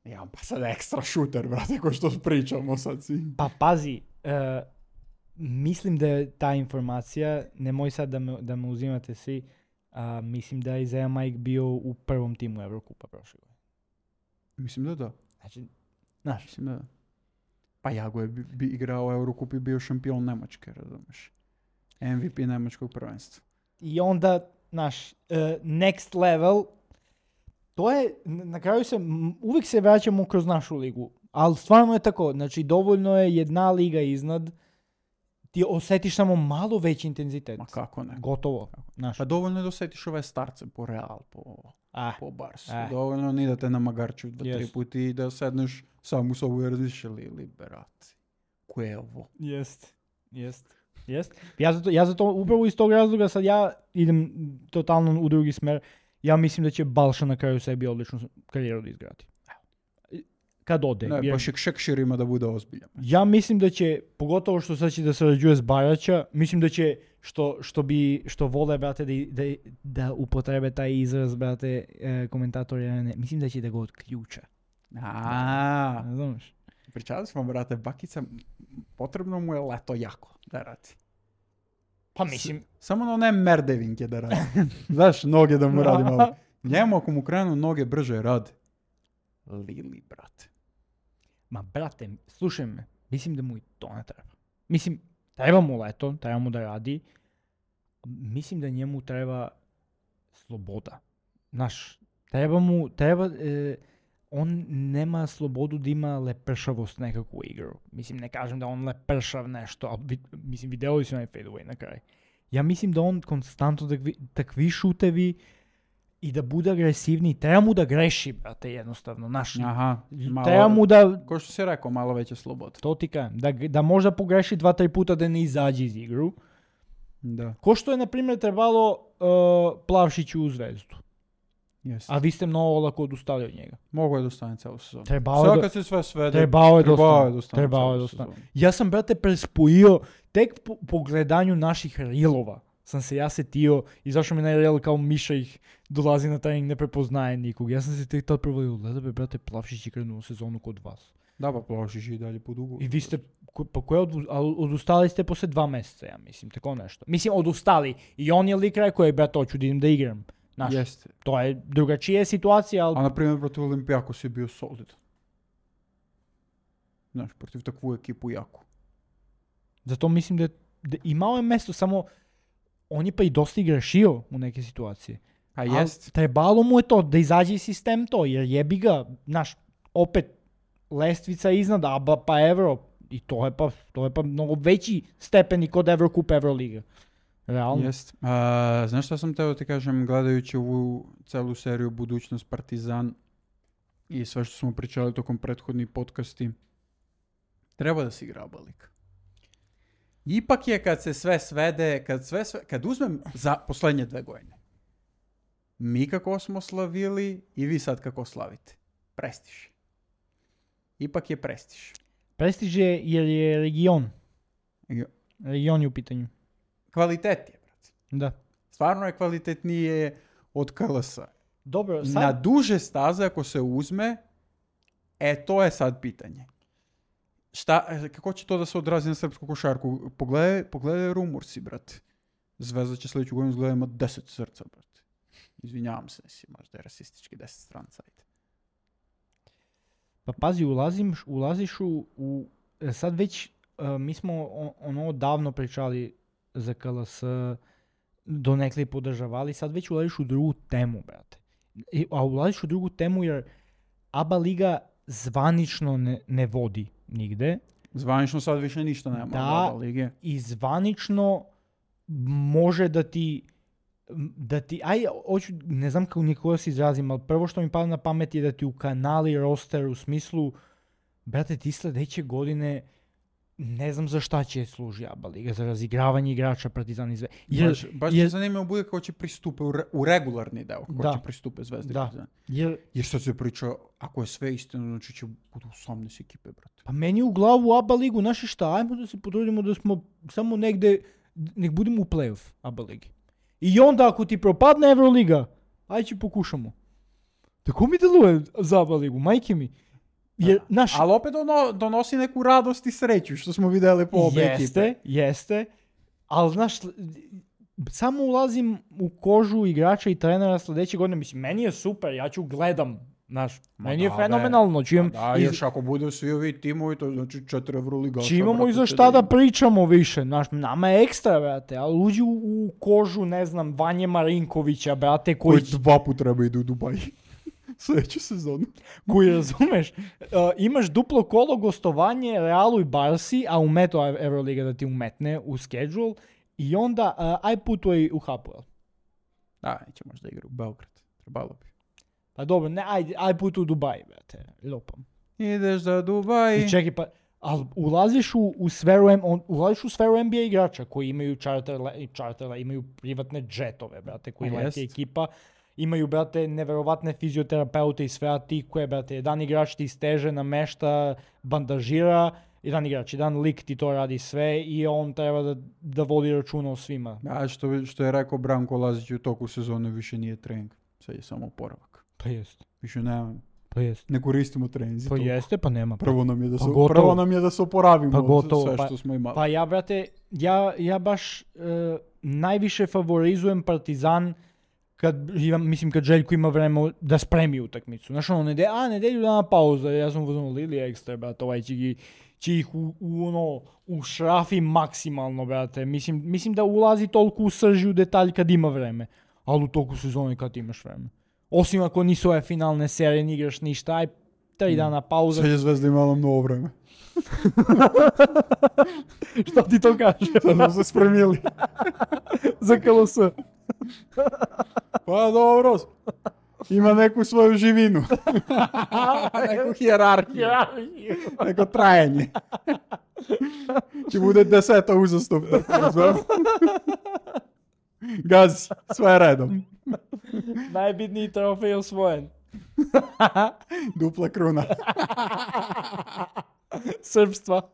pa sad ekstra šuter, brate, ko što pričamo sad si. Pa pazi, mislim da je ta informacija, nemoj sad da me uzimate svi, mislim da je Isaiah Mike bio u prvom timu Evrokupa prošle godine. Mislim da da. Znači, znaš. Mislim da da. Pa Jago je igrao u Eurokup i bio šampion Nemačke, razumeš. MVP Nemačkog prvenstva. I onda, znaš, next level, to je, na kraju uvijek se vraćamo kroz našu ligu, ali stvarno je tako, znači dovoljno je jedna liga iznad, ti osjetiš samo malo veći intenzitet. Ma kako ne. Gotovo. Znaš. Pa dovoljno je da osjetiš ove starce po Real, po Barsu. Dovoljno ni da te namagarču 2-3 puti i da sedneš sam u sobu i razmišljaš liberaciji. Ko je ovo? Jest. Ja zato upravo iz tog razloga sad ja idem totalno u drugi smer. Ja mislim da će Balša na kraju sebi odličnu karijeru da izgradi. Kad ode. Ne, pa Šekšir ima da bude ozbiljan. Ja mislim da će, pogotovo što sad će da sarađuje s Baraća, mislim da će, što vole, brate, da upotrebe taj izraz, brate, komentatori, mislim da će da ga odključa. Ne znaš? Pričali smo, brate, Bakica, potrebno mu je leto jako da radi. Pa mislim... Samo ne merdevinke da radi. Znaš, noge da mu radi malo. Njemu ako mu krenu noge brže radi. Lili, brate. Ma, brate, slušaj me, mislim da mu i to ne treba. Mislim, treba mu leto, treba mu da radi. Mislim da njemu treba sloboda. Znaš, on nema slobodu da ima lepršavost nekakvu igru. Mislim, ne kažem da on lepršav nešto, ali mislim, vidjeli su onaj fadeaway na kraj. Ja mislim da on konstantno takvi šutevi i da bude agresivniji, treba mu da greši, brate, jednostavno, naš. Aha, treba mu da... Ko što si rekao, malo veće slobode. To ti kažem, da možda pogreši 2-3 puta da ne izađe iz igru. Da. Ko što je, na primjer, trebalo Plavšiću u Zvezdu. Yes. A vi ste mnogo olako odustali od njega. Mogu je da ostane celu sezonu. Sad kad se sve svede, trebao je da ostane. Ja sam, brate, prespojio, tek po gledanju naših reelova sam se ja setio, izašao mi na reel kao Miša ih dolazi na trening, ne prepoznaje nikog. Ja sam se tek tad provalio, gleda be, brate, Plavšić je krenuo sezonu kod vas. Da, pa Plavšić je i dalje po dugu. I vi ste, odustali ste posle 2 mjeseca, ja mislim, tako nešto. Mislim, odustali. I on je lik rekao, brate, hoću da idem da igram. Znaš, jeste. To je drugačija situacija, ali... A na primjer, protiv Olimpijakos je bio solidan. Znaš, protiv takvu ekipu jaku. Zato mislim da imao je mesto, samo on je pa i dosta grešio u neke situacije. A jest. Trebalo mu je to, da izađe iz sistem to, jer jebi ga, znaš, opet lestvica iznad ABA pa Euro, i to je pa mnogo veći stepeni kod Evrokup Evroliga. Realno. Jest. Znaš šta sam teo ti kažem, gledajući ovu celu seriju Budućnost Partizan i sve što smo pričali tokom prethodnih podcasti, treba da se igra ABA liga. Ipak je kad se sve svede, kad uzmem za poslednje 2 godine, mi kako smo slavili i vi sad kako slavite. Prestiž. Ipak je prestiž. Prestiž je jer je region. Region je u pitanju. Kvalitet je, brate. Da. Stvarno je kvalitetnije od KLS-a. Dobro, sad... Na duže staze ako se uzme, to je sad pitanje. Kako će to da se odrazi na srpsku košarku? Pogledaj Rumorsi, brate. Zvezda će sljedeću godinu izgleda ima 10 srca, brate. Izvinjavam se, možda je rasistički 10 stranca. Pa pazi, ulaziš u sad već, mi smo ono davno pričali za KLS, donekle podržavali, sad već ulaziš u drugu temu, brate. A ulaziš u drugu temu jer ABA liga zvanično ne vodi nigde. Zvanično sad više ništa nema ABA lige. I zvanično može da ti ne znam kako nikoga se izrazim, ali prvo što mi pada na pamet je da ti u kanali roster u smislu, brate, ti sledeće godine ne znam za šta će služi ABA liga, za razigravanje igrača Partizan i Zvezda. Baš će zanimljivo bude kako će pristupe u regularni deo, kako će pristupe Zvezda i Partizan. Jer što se priča, ako je sve istino, znači će budu 18 ekipe, brate. Pa meni u glavu ABA ligu, znaš šta, ajmo da se potrudimo da smo samo negde, nek budemo u play-off ABA ligi. I onda ako ti propadne Evroliga, ajde pokušamo. Tako mi deluje za ABA ligu, majke mi. Jer, znaš, Ali opet donosi neku radost i sreću, što smo vidjeli po obe ekipe. Jeste, ali znaš, samo ulazim u kožu igrača i trenera sljedeće godine, mislim, meni je super, ja ću gledam, znaš, meni je fenomenalno. Još ako budu svi ovi timovi, to znači 4 Euroligaša. Imamo i za šta da pričamo više, znaš, nama je ekstra, brate, ali uđi u kožu, ne znam, Vanje Marinkovića, brate, koji 2 puta treba idu u Dubaj. Sljedeću sezonu. Koji, razumeš, imaš duplo kolo gostovanje Realu i Barsi, a umeto Euroliga da ti umetne u schedule, i onda aj putuj u Hapoel. Da, neće možda igra u Beograd. Trebalo bi. Pa dobro, ne, aj putuj u Dubaj, brate, lopam. Ideš za Dubaj. I čekaj, pa, ali ulaziš u sferu NBA igrača koji imaju čarterla, imaju privatne džetove, brate, koji leti ekipa. Imaju, brate, neverovatne fizioterapeute i sve, a ti koje, brate, jedan igrač ti steže, namešta, bandažira, jedan lik ti to radi sve i on treba da vodi računa o svima. A što je rekao Branko Lazić u toku sezone, više nije trening, sad je samo oporavak. Pa jest. Više nema. Pa jest. Ne koristimo treninzi. Pa toliko. Jeste, pa nema. Prvo nam je da se oporavimo pa gotovo, sve što smo imali. Pa ja, brate, ja baš najviše favorizujem Partizan kad Željko ima vreme da spremi utakmicu. Znaš, nedelju dana pauza, ja sam uzmano Lili ekstra, brate, ovaj će ih ušrafi maksimalno, brate. Mislim da ulazi toliko u srži u detalj kad ima vreme, ali u toku sezone kad imaš vreme. Osim ako nisu ove finalne serije, ne igraš ništa, aj 3 dana pauza. Sve je Zvezda imala mnogo vreme. Što ti to kaže? Sad smo se spremili. Za KLS. Pa dobro, ima neku svoju živinu. Neku hijerarhiju. Neko trajanje. Će bude 10 uzastopna. Gazi, sve redom. Najbitniji trofej osvojen. Dupla kruna. Srpstva.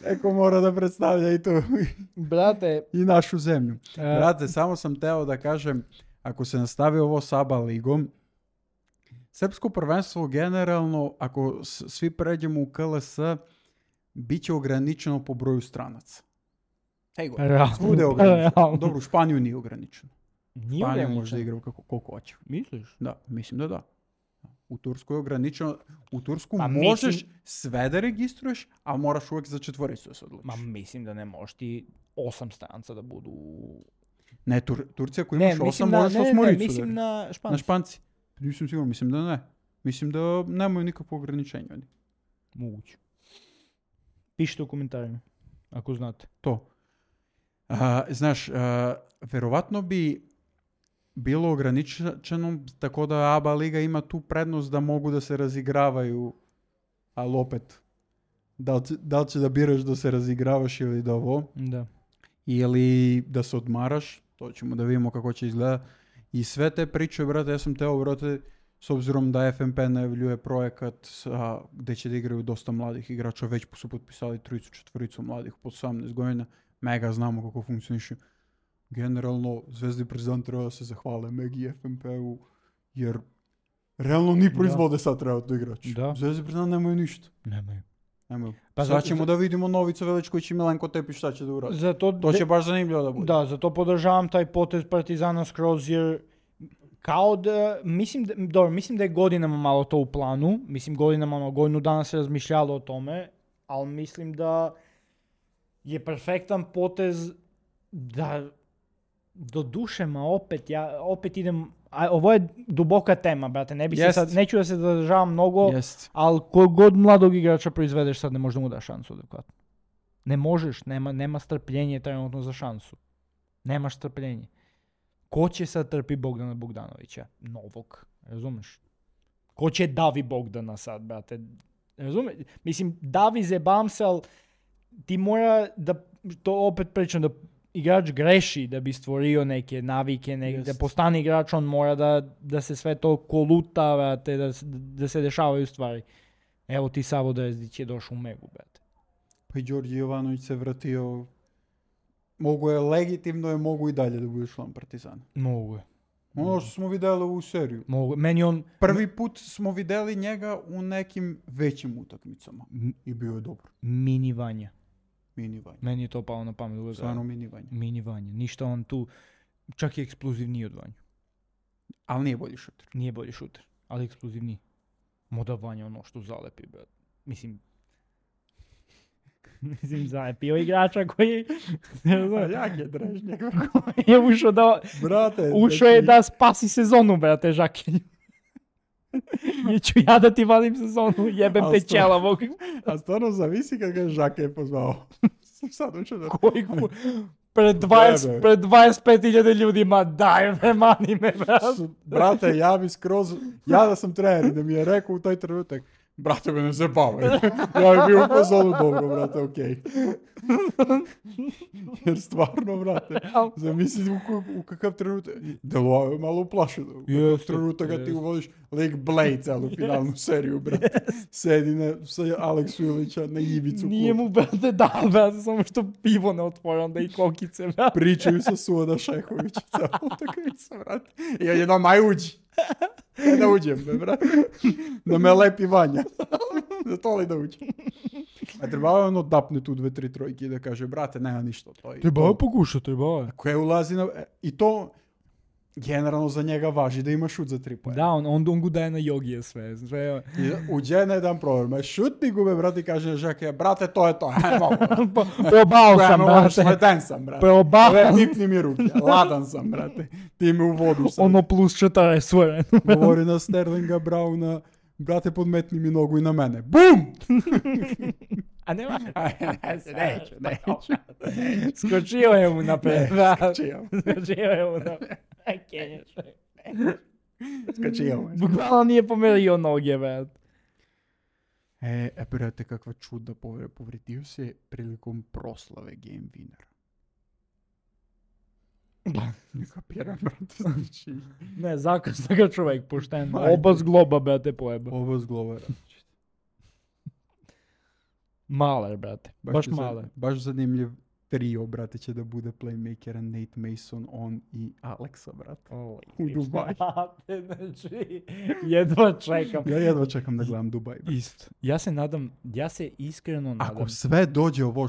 Eko mora da predstavlja i to. Brate. I našu zemlju. Brate, samo sam teo da kažem, ako se nastavi ovo s ABA ligom, srpsko prvenstvo generalno, ako svi pređemo u KLS, bit će ograničeno po broju stranaca. Svude je ograničeno. Dobro, u Španiju nije ograničeno. Španija može da igra koliko hoće. Misliš? Da, mislim da da. U Tursku je ograničeno. U Tursku možeš sve da registruješ, ali moraš uvijek za 4 da se odlučiš. Ma mislim da ne možeš ti 8 stranca da budu... Ne, Turcija ako imaš 8 možeš 8 ricu. Mislim na Španci. Na Španci. Nisam siguran, mislim da ne. Mislim da nemaju nikakvo ograničenje. Moguće. Pišite u komentarima, ako znate. To. Znaš, verovatno bi bilo ograničeno, tako da ABA liga ima tu prednost da mogu da se razigravaju, ali opet, da li će da biraš da se razigravaš ili da ovo, da. Ili da se odmaraš, to ćemo da vidimo kako će izgledati. I sve te priče, brate, ja sam teo, brate, s obzirom da FNP najavljuje projekat gde će da igraju dosta mladih igrača, već su potpisali 3-4 mladih po 18 godina, mega znamo kako funkcioniše. Generalno, Zvezda i Partizan treba da se zahvale Megi i FNP-u, jer realno ni proizvode sad treba to igrači. Zvezda i Partizan nemaju ništa. Nemaju. Pa sad ćemo da vidimo Novica Veličković i Milenko Tepić šta će da uradi. To će baš zanimljivo da bude. Da, zato podržavam taj potez Partizana skroz, jer kao da, mislim da je godinama malo to u planu, godinu dana se razmišljalo o tome, ali mislim da je perfektan potez da do duše, opet idem, ovo je duboka tema, brate, neću da se zadržavam mnogo, ali kogod mladog igrača proizvedeš sad ne možeš da mu daš šansu adekvatno. Ne možeš, nema strpljenje trenutno za šansu. Nemaš strpljenje. Ko će sad trpi Bogdana Bogdanovića? Novog, razumeš? Ko će Davi Bogdana sad, brate? Razumeš? Mislim, Davi zebam se, ali ti mora da, to opet pričam, da igrač greši da bi stvorio neke navike, da postane igrač, on mora da se sve to koluta, brate, da se dešavaju stvari. Evo ti Savo Drezdić je došao u Megu, brate. Pa i Đorđe Jovanović se vratio, mogu je legitimno, mogu i dalje da bude član Partizana. Mogu je. Ono što smo vidjeli u seriju. Meni on... Prvi put smo vidjeli njega u nekim većim utakmicama. I bio je dobro. Mini Vanja. Mini Vanja. Meni je to palo na pamet. Stvarno mini Vanja. Mini Vanja. Ništa on tu... Čak i eksplozivniji od Vanja. Ali nije bolji šuter. Nije bolji šuter, ali eksplozivniji. Moda Vanja ono što zalepi, brat. Mislim, zalepio igrača koji... Jak je Drežnjak. je ušao da... Brate, ušao je da spasi sezonu, brate, Žakelju. I ću ja da ti valim sezonu, jebem te ćelavog. A stvarno zavisi kad ga Žake je pozvao. Sad učeo da... Koji pred 25.000 ljudima, daj me, mani me, brate. Brate, ja bi skroz... Ja da sam trener i da mi je rekao u taj trenutak, brate, me ne zabavaj. Ja bi bio u fazonu dobro, brate, okej. Jer stvarno, brate, zamisli u kakav trenutak... Delo je malo uplašeno. U trenutak kad ti uvodiš League Blade celu finalnu seriju, brate. Sedi sa Aleksu Ilića na ivicu. Nije mu, brate, da, brate, samo što pivo ne otvore, onda i kokice, brate. Pričaju sa Suoda Šehovića celu utakmicu, brate. I on je doma, uđi. Da uđem, brate. Da me lepi Vanja. Da to li da uđem. A trebao je ono dapne tu 2-3 trojke i da kaže, brate, nema ništa. Trebao je pokušati, trebao je. Koje ulazi na... I to generalno za njega važi da ima šut za 3 poena. Da, on gu daje na jogije sve. Uđe na jedan problem. Šutni gube, brate, i kaže Žake, brate, to je to. Probao sam, brate. Leden sam, brate. Probao. Pipni mi ruke. Ladan sam, brate. Ti me uvodiš sad. Ono plus 40 svoje. Govori na Sterlinga Browna, brate, podmetni mi nogu i na mene. BUM! A nema? Neću. Skočio je mu napred. Skočio je mu napred. Skočio. Bukvalno nije pomerio noge, brate. Brate, kakva čuda povredio se prilikom proslave Game Winnera. Ne kapiram, brate, znači... Ne, zakasno ga čovjek pošten. Oba zgloba, brate, pojeba. Oba zgloba, različite. Maler, brate. Baš maler. Baš zanimljiv trio, brate, će da bude playmakera Nate Mason, on i Alexa, brate. U Dubaju. Znači, jedva čekam. Ja jedva čekam da gledam Dubaj. Isto. Ja se iskreno nadam. Ako sve dođe ovo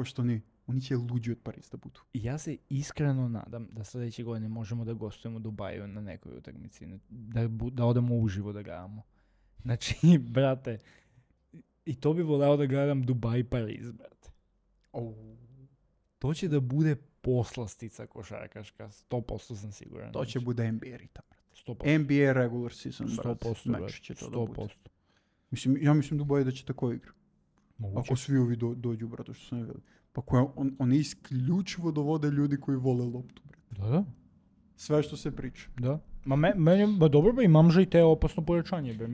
što ni, oni će luđi od Pariza da budu. Ja se iskreno nadam da sljedeće godine možemo da gostujemo u Dubaju na nekoj utakmici. Da odemo uživo da gledamo. Znači, brate, i to bi voleo da gledam Dubaj Pariz, brate. To će da bude poslastica košarkaška, 100% sam siguran. To će bude NBA ritam, brate. 100%. NBA regular season, brate. 100%, meč će to 100%. da bude. Ja mislim Dubaj da će tako igra. Moguće. Ako svi ovi dođu, brate, što sam ne vidio. Pa oni isključivo dovode ljudi koji vole loptu, brate. Da. Sve što se priča. Da. Meni, dobro ba, imam že i te opasno pojačanje, be.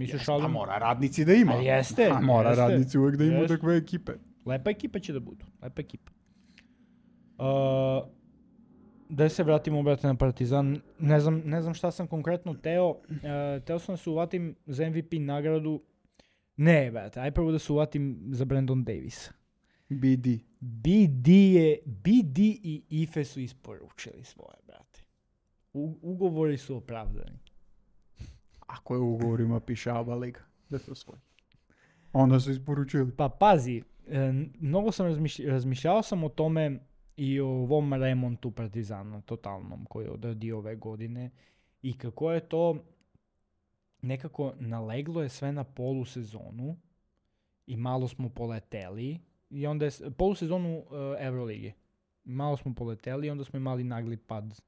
A mora radnici da ima. A jeste. Mora radnici uvek da imaju takve ekipe. Lepa ekipa će da budu. Lepa ekipa. Da se vratimo, brate, na Partizan. Ne znam šta sam konkretno teo. Teo sam da se uvatim za MVP nagradu. Ne, brate, aj prvo da se uvatim za Brandon Davisa. BD i Ife su isporučili svoje, brate. Ugovori su opravdani. Ako je u ugovorima piše ABA liga, da to svoje. Onda su isporučili. Pa pazi, mnogo sam razmišljao sam o tome i o ovom remontu Partizana totalnom koji je odradio ove godine i kako je to nekako naleglo je sve na polusezonu i malo smo poleteli i onda je polusezonu Eurolige. Malo smo poleteli i onda smo imali nagli pad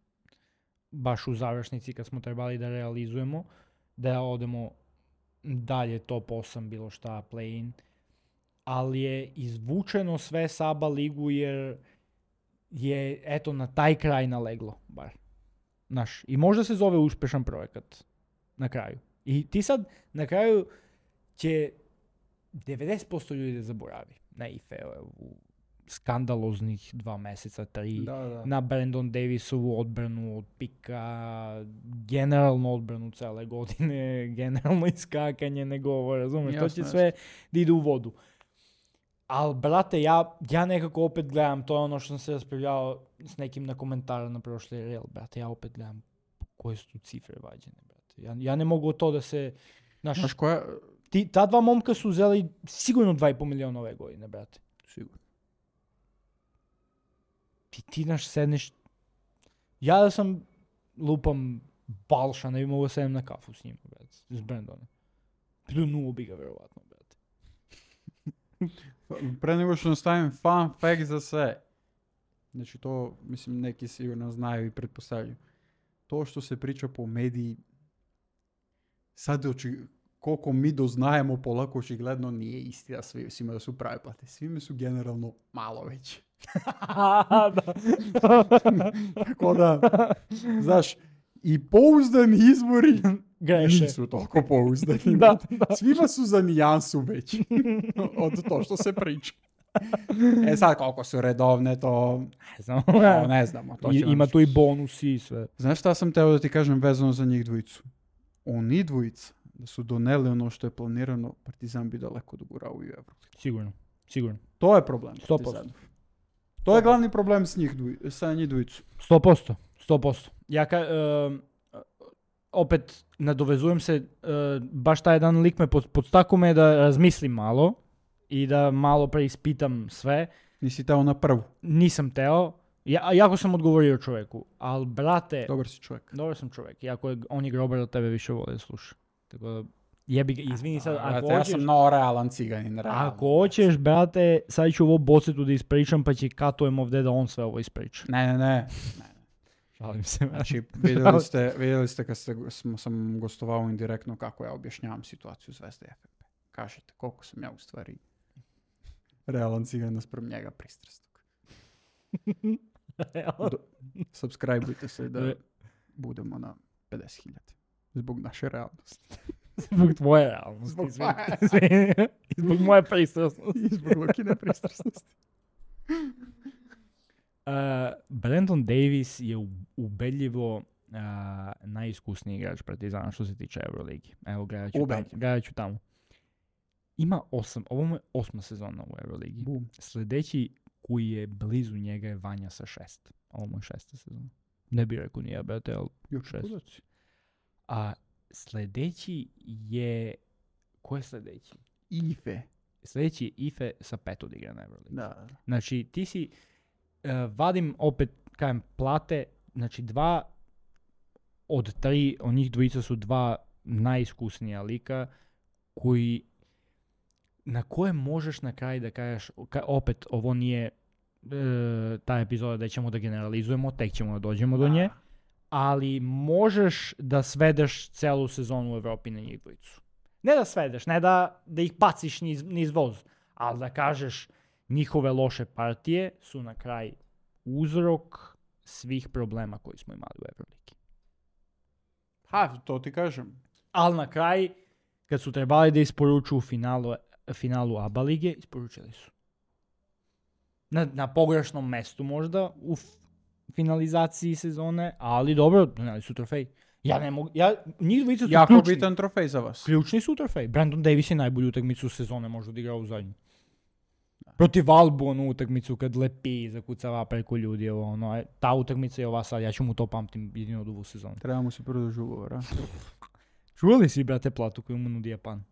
baš u završnici kad smo trebali da realizujemo, da odemo dalje top 8 bilo šta play-in, ali je izvučeno sve s ABA ligu jer je eto na taj kraj naleglo bar. Znaš, i možda se zove uspešan projekat na kraju. I ti sad na kraju će 90% ljudi da zaboravi na Ife u skandaloznih 2 meseca, 3, da. na Brandon Davisovu odbranu od pika, generalnu odbranu cele godine, generalno iskakanje nego, razumeš, to će sve da ide u vodu. Ali, brate, ja nekako opet gledam, to je ono što sam se raspravljao s nekim na komentaru na prošli reel, brate, ja opet gledam koje su tu cifre vađene, brate. Ja ne mogu od to da se... Znaš koja... Ta dva momka su uzeli sigurno 2,5 miliona ove godine, brate. Sigurno. Ti naš sedneš... Ja da sam lupam Balša, ne bi mogo sedem na kafu s njima, brate. S Brandonom. Pljunuo bi ga, verovatno, brate. Pre nego što nastavim fun fact za sve. Znači to, mislim, neki sigurno znaju i pretpostavljaju. To što se priča po mediji, sad koliko mi doznajemo polako očigledno nije istina svima da su prave plate. Svime su generalno malo veće. Tako da, znaš, i pouzdani izvori Greše. nisu toliko pouzdani. Da. Svima su za nijansu veći od to što se priča. Sad koliko su redovne, to ne znamo. To Ima tu i bonusi i sve. Znaš šta sam teo da ti kažem vezano za njih dvojicu? Oni dvojica, da su doneli ono što je planirano, Partizan bi daleko dogurao u Euro. Sigurno. To je problem. 100%. To je glavni problem sa njih dvojicu. 100%. Ja opet nadovezujem se, baš taj jedan lik me podstakao me da razmislim malo i da malo preispitam sve. Nisi teo na prvu. Nisam teo. Jako sam odgovorio čovjeku, ali brate... Dobar si čovjek. Dobar sam čovjek. Iako on je grobar, od tebe više vole da sluša. Tako da, jebi ga, izvini sad, ako ja hoćeš... sam realan ciganin, realan. Ako hoćeš, brate, sad ću ovo bocetu da ispričam, pa će katujem ovdje da on sve ovo ispriča. Ne. Šalim se. Znači, vidjeli ste kad sam gostovao indirektno kako ja objašnjavam situaciju Zvezde i FNP. Kažete koliko sam ja u stvari realan cigan naspram njega pristrasnog. Subscribeujte se da budemo na 50.000. Zbog naše realnosti. Zbog tvoje realnosti. Zbog moje pristrasnosti. I zbog Lukine pristrasnosti. Brandon Davis je ubedljivo najiskusniji igrač Partizana što se tiče Euroligi. Evo, gledat ću tamo. Ima 8, ovo mu je 8. sezona u Euroligi. Sljedeći koji je blizu njega je Vanja sa 6. Ovo mu je 6. sezona. Ne bih rekao nije, brate, ali 6. A sljedeći je... Ko je sljedeći? Ife. Sljedeći je Ife sa 5 odigra na Euroligi. Da. Znači, ti si... vadim opet, kajem, plate, znači 2 od 3, od njih dvojica su 2 najiskusnija lika koji, na koje možeš na kraju da kažeš, opet ovo nije ta epizoda da ćemo da generalizujemo, tek ćemo da dođemo do nje, ali možeš da svedeš celu sezonu u Evropi na njih dvojicu. Ne da svedeš, ne da ih paciš niz voz, ali da kažeš njihove loše partije su na kraj uzrok svih problema koji smo imali u Euroligi. To ti kažem. Ali na kraj, kad su trebali da isporuču u finalu ABA lige, isporučili su. Na pogrešnom mestu možda u finalizaciji sezone, ali dobro, doneli su trofej. Ja ne mogu, njih dvojica su jako ključni. bitan trofej za vas. Ključni su trofej. Brandon Davis je najbolju utakmicu sezone možda odigrao u zadnju. Protiv Albu onu utakmicu kad lepi i zakucava preko ljudi, ta utakmica je ova sad, ja ću mu to pamtim jedino od ovu sezonu. Treba mu se produži ugovor, a? Čuvali si, brate, platu koju mu nudi Japan?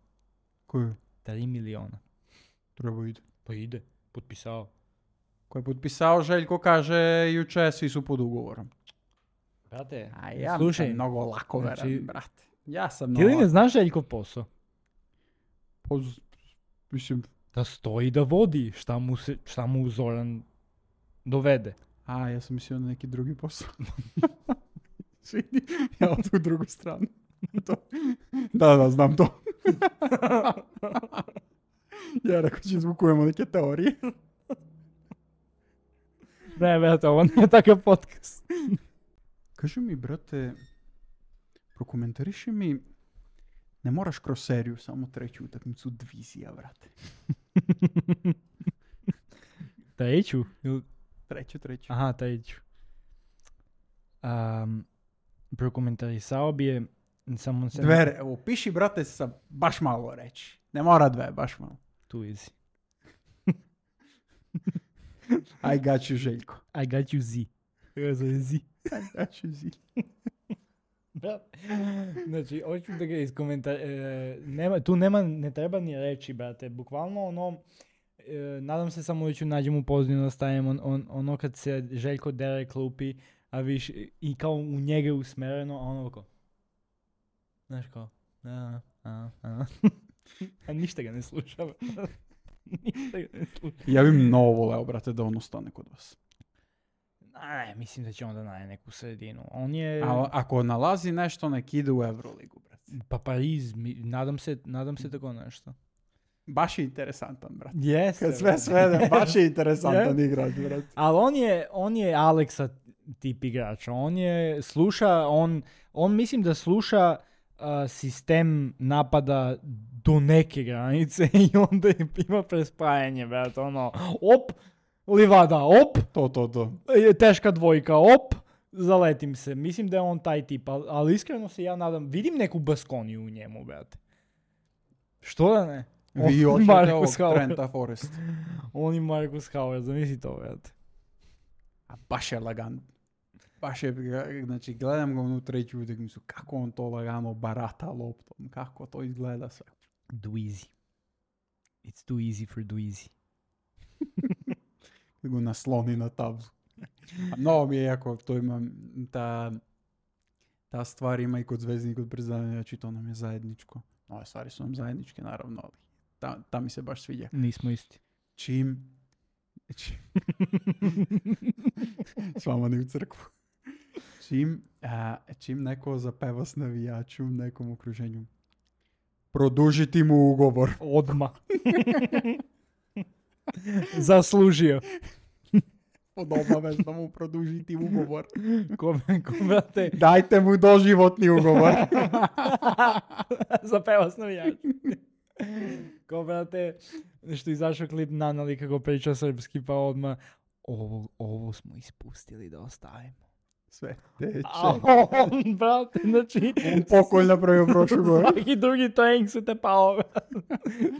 Koju? 3 miliona. Treba ide. Pa ide, potpisao. Ko je potpisao, Željko kaže juče, svi su pod ugovorom. Brate, a ja slušaj, sam mnogo lako veran, brate. Ja sam ti li ne znaš Željkov posao? Mislim... Da stoji da vodi šta mu Zoran dovede. Ja sam mislio na neki drugi posao. Svidi, ja od u drugu stranu. Da, znam to. Ja rekao će zvukujemo neke teorije. Ne, brate, ovo nije takav podcast. Kaži mi, brate, prokomentariši mi, ne moraš kroz seriju, samo treću utakmicu divizija, brate. Treću? Treću. Aha, treću. Prokomentarisao bi je samo... Evo, piši, brate, sa baš malo reći. Ne mora dve, baš malo. Tu easy. I got you, Željko. I got you Z. I got you, Z. Znači, hoću da ga ne treba ni reći, brate, bukvalno ono, nadam se samo da ću nađem u pozadinu da stavim ono kad se Željko dere klupi, a viš, i kao u njega je usmereno, a ono kao, znaš kao, a ništa ga ne sluša. Ništa ga ne sluša. Ja bi mnogo voleo, brate, da on ostane kod vas. Ne, mislim da će onda naći neku sredinu. On je... A ako nalazi nešto, nek ide u Euroligu, brate. Pa Pariz, nadam se tako nešto. Baš je interesantan, brate. Jeste. Kad sve svede, baš je interesantan igrač, brate. Ali on je Aleksa tip igrača. On mislim da sluša sistem napada do neke granice i onda ima prespajanje, brate, ono, op, livada, op, To. teška dvojka, op, zaletim se. Mislim da je on taj tip, ali iskreno se ja nadam, vidim neku Baskoniju u njemu, brate. Što da ne? Vi hoćete ovog Trenta Forrest. On i Marcus Howard, zamisli to, brate. A baš je lagan. Baš je, znači gledam ga unutra i čudim mi su kako on to lagano barata loptom, kako to izgleda sve. Dweezy. It's too easy for Dweezy. Go nasloni na tablu. A mnogo mi je jako, to ima, ta stvar ima i kod Zvezdi i kod Partizana, znači to nam je zajedničko. Ove stvari su nam zajedničke, naravno, ali ta mi se baš sviđa. Nismo isti. Čim s vama ni u crkvu. Čim neko zapeva s navijaču u nekom okruženju, produžiti mu ugovor. Odma. Zaslužio. Pod obavezno mu produžiti ugovor. Ko brate? Dajte mu doživotni ugovor. Zapeva s navijačem. Ko brate, što izašao klip Nanali kako priča srpski, pa odmah ovo smo ispustili da ostavimo. Sve teče. On, brate, znači... On pokolj napravio prošlu gore. Svaki drugi trening se te pao.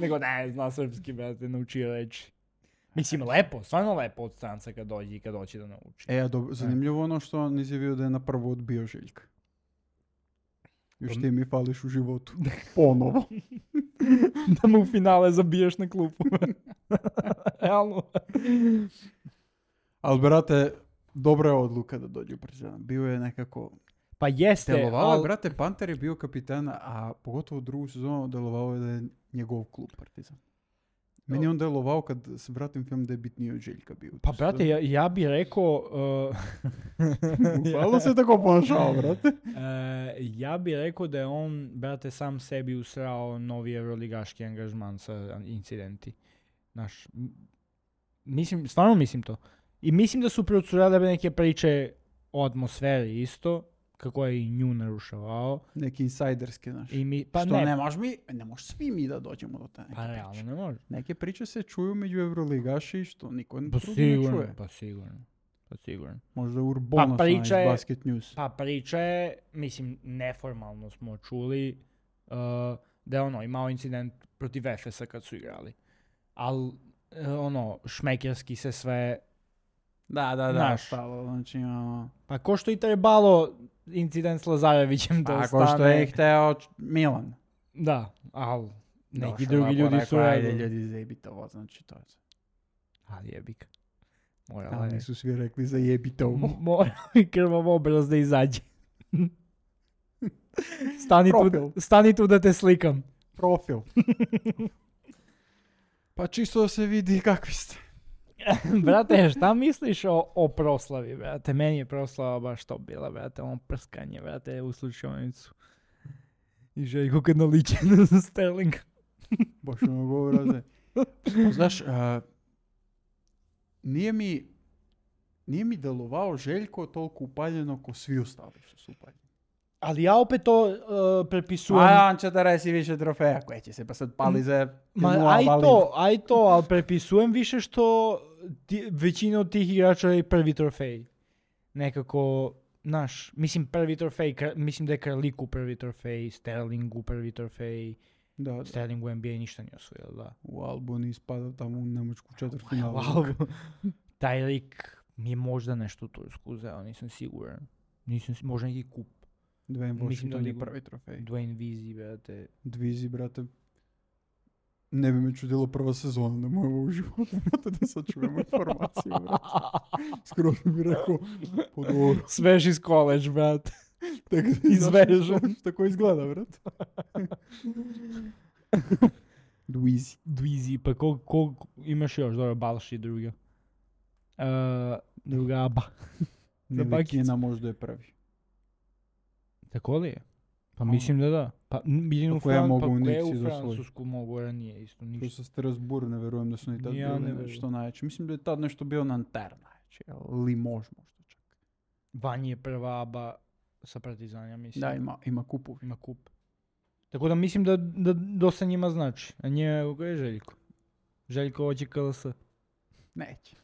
Nego ne, zna srpski, brate, naučio reći. Mislim, lepo, stvarno lepo od stranca kad dođe i kad hoće da nauči. Zanimljivo ono što nisi vidio da je na prvo odbio Željka. Još ti mi fališ u životu. Ponovo. Da mu u finale zabiješ na klupu. Realno. Ali, brate, dobra je odluka da dođe u Partizan. Bio je nekako... Pa jeste, delovalo, brate, Panter je bio kapitan, a pogotovo drugu sezonu delovalo je da je njegov klub Partizan. Meni je on delovao kad se vratim film da je bitniji od Željka bio. Pa brate, ja bi rekao... Hvala se tako ponašao, brate. Ja bi rekao da je on, brate, sam sebi usrao novi euroligaški angažman sa incidenti. Znaš, stvarno mislim to. I mislim da su procurale neke priče o atmosferi isto, kako je i nju narušavao. Neki insajderske, znaš. Pa što ne može svi mi da dođemo do te neke priče. Pa realno ne može. Neke priče se čuju među euroligaši što niko ne čuje. Pa sigurno. Možda Urbona iz Basket News. Pa priča je, mislim, neformalno smo čuli da je imao incident protiv Efesa kad su igrali. Ali, šmekerski se sve... Da, stalo, znači, Pa ko što i trebalo incident s Lazarevićem da ostane... A ko što je hteo Milan. Da, ali neki drugi ljudi su... Ajde, ljudi, zajebite ovo, znači to je... Ali jebik. Ali nisu svi rekli zajebite ovo. Mora i krvav obraz da izađe. Stani tu da te slikam. Profil. Pa čisto da se vidi kakvi ste. Brate, šta misliš o proslavi, brate? Meni je proslava baš to bila, brate, prskanje, brate, u slučajnicu. I Željko kad naliče na Sterling. Baš ono govora. Znaš, nije mi delovao Željko toliko upaljeno ko svi ostali što su upaljeni. Ali ja opet to prepisujem... A on će da resi više trofeja koje će se pa sad pali za... Aj to, ali prepisujem više što većina od tih igrača je prvi trofej. Nekako, mislim prvi trofej, mislim da je Karliku prvi trofej, Sterlingu prvi trofej, da. Sterling u NBA ništa nije osvojio, da. U Albu ni ispadao tamo u Nemačku četvrtfinalu. Taj lik mi je možda nešto u Tursku uzeo, nisam siguran. Možda neki kup. Dwayne Mislim da Washington je ligu- prvi trofej. Dwayne Vizi, brate. Dvizi, brate. Ne bi me čudilo prva sezona, ne mojemo u životu, brate, da sad čujemo informaciju, brate. Skoro bi rekao, po dobro. Svež iz college, brate. Izvežen. Tako izgleda, brate. Dvizi. Dvizi, pa ko imaš još, dobro, Balši druga. Druga aba. Nilikina možda je prvi. Tako li je? Pa mislim da. Pa jedino Ako ja mogu u u Nixi da Francusku mogu ranije isto To ništa. sa Strasbourg, ne verujem da su ni tad Ja ne bili verujem. nešto najjače. Mislim da je tad nešto bio Nanterre najjače, Limoges možda čak. Vanje je prva aba sa Partizanja, mislim. Da, ima kupu. Ima kup. Tako da mislim da dosta njima znači. A nje, ko je Željko? Željko hoće KLS. Neće.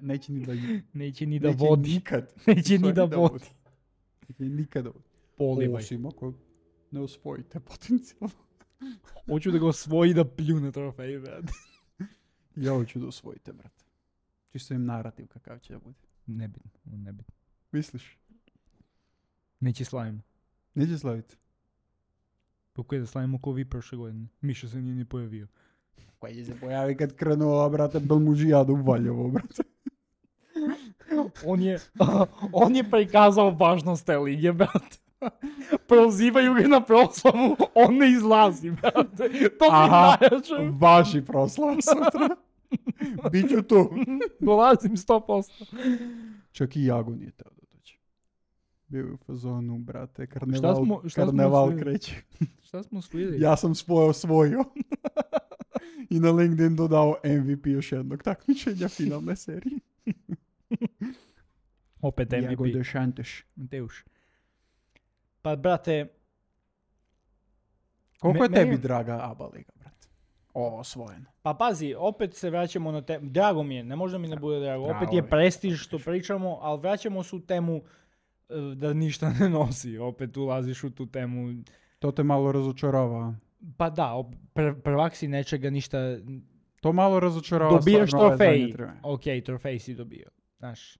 Neće ni da Neće ni da neće vodi. nikad. Neće ni da Stvari vodi. Neće nikada vodi. Polivaj. Osim ako ne osvojite potencijalno. Hoću da ga osvoji da pljune trofej, brate. Ja hoću da osvojite, brate. Čisto im narativ kakav će da bude. Nebitno. Misliš? Neće slavimo. Neće slaviti. Kako je da slavimo ko vi prošle godine? Miša se nije ni pojavio. Koji će se pojavi kad krenuo, brate, Belmužijadu u Valjevo, brate. On je prikazao važnost te lige, brate. Prozivaju ga na proslavu, on ne izlazi, brate. To mi najjače. Vaši proslava sutra. Biću tu. Dolazim 100%. Čak i Jago nije teo da dođe. Bio je u fazonu, brate, Šta karneval smo kreće. Šta smo osvojili? Ja sam osvojio. I na LinkedIn dodao MVP još jednog takmičenja finalne serije. Opet Jago MVP. Dešanteš. Mateuš. Pa, brate, Koliko je meni- tebi draga ABA liga, brate? Osvojeno. pa pazi, opet se vraćamo na temu. Drago mi je, ne može mi ne bude drago. Drago Opet mi je je. prestiž što pričamo, ali vraćamo se u temu da ništa ne nosi. Opet ulaziš u tu temu. To te malo razočarava. Pa da, prvak si nečega ništa. To malo razočarava. Dobijaš stvarno ove trofej. zadnje trenuke. Ok, trofej si dobio. Znaš,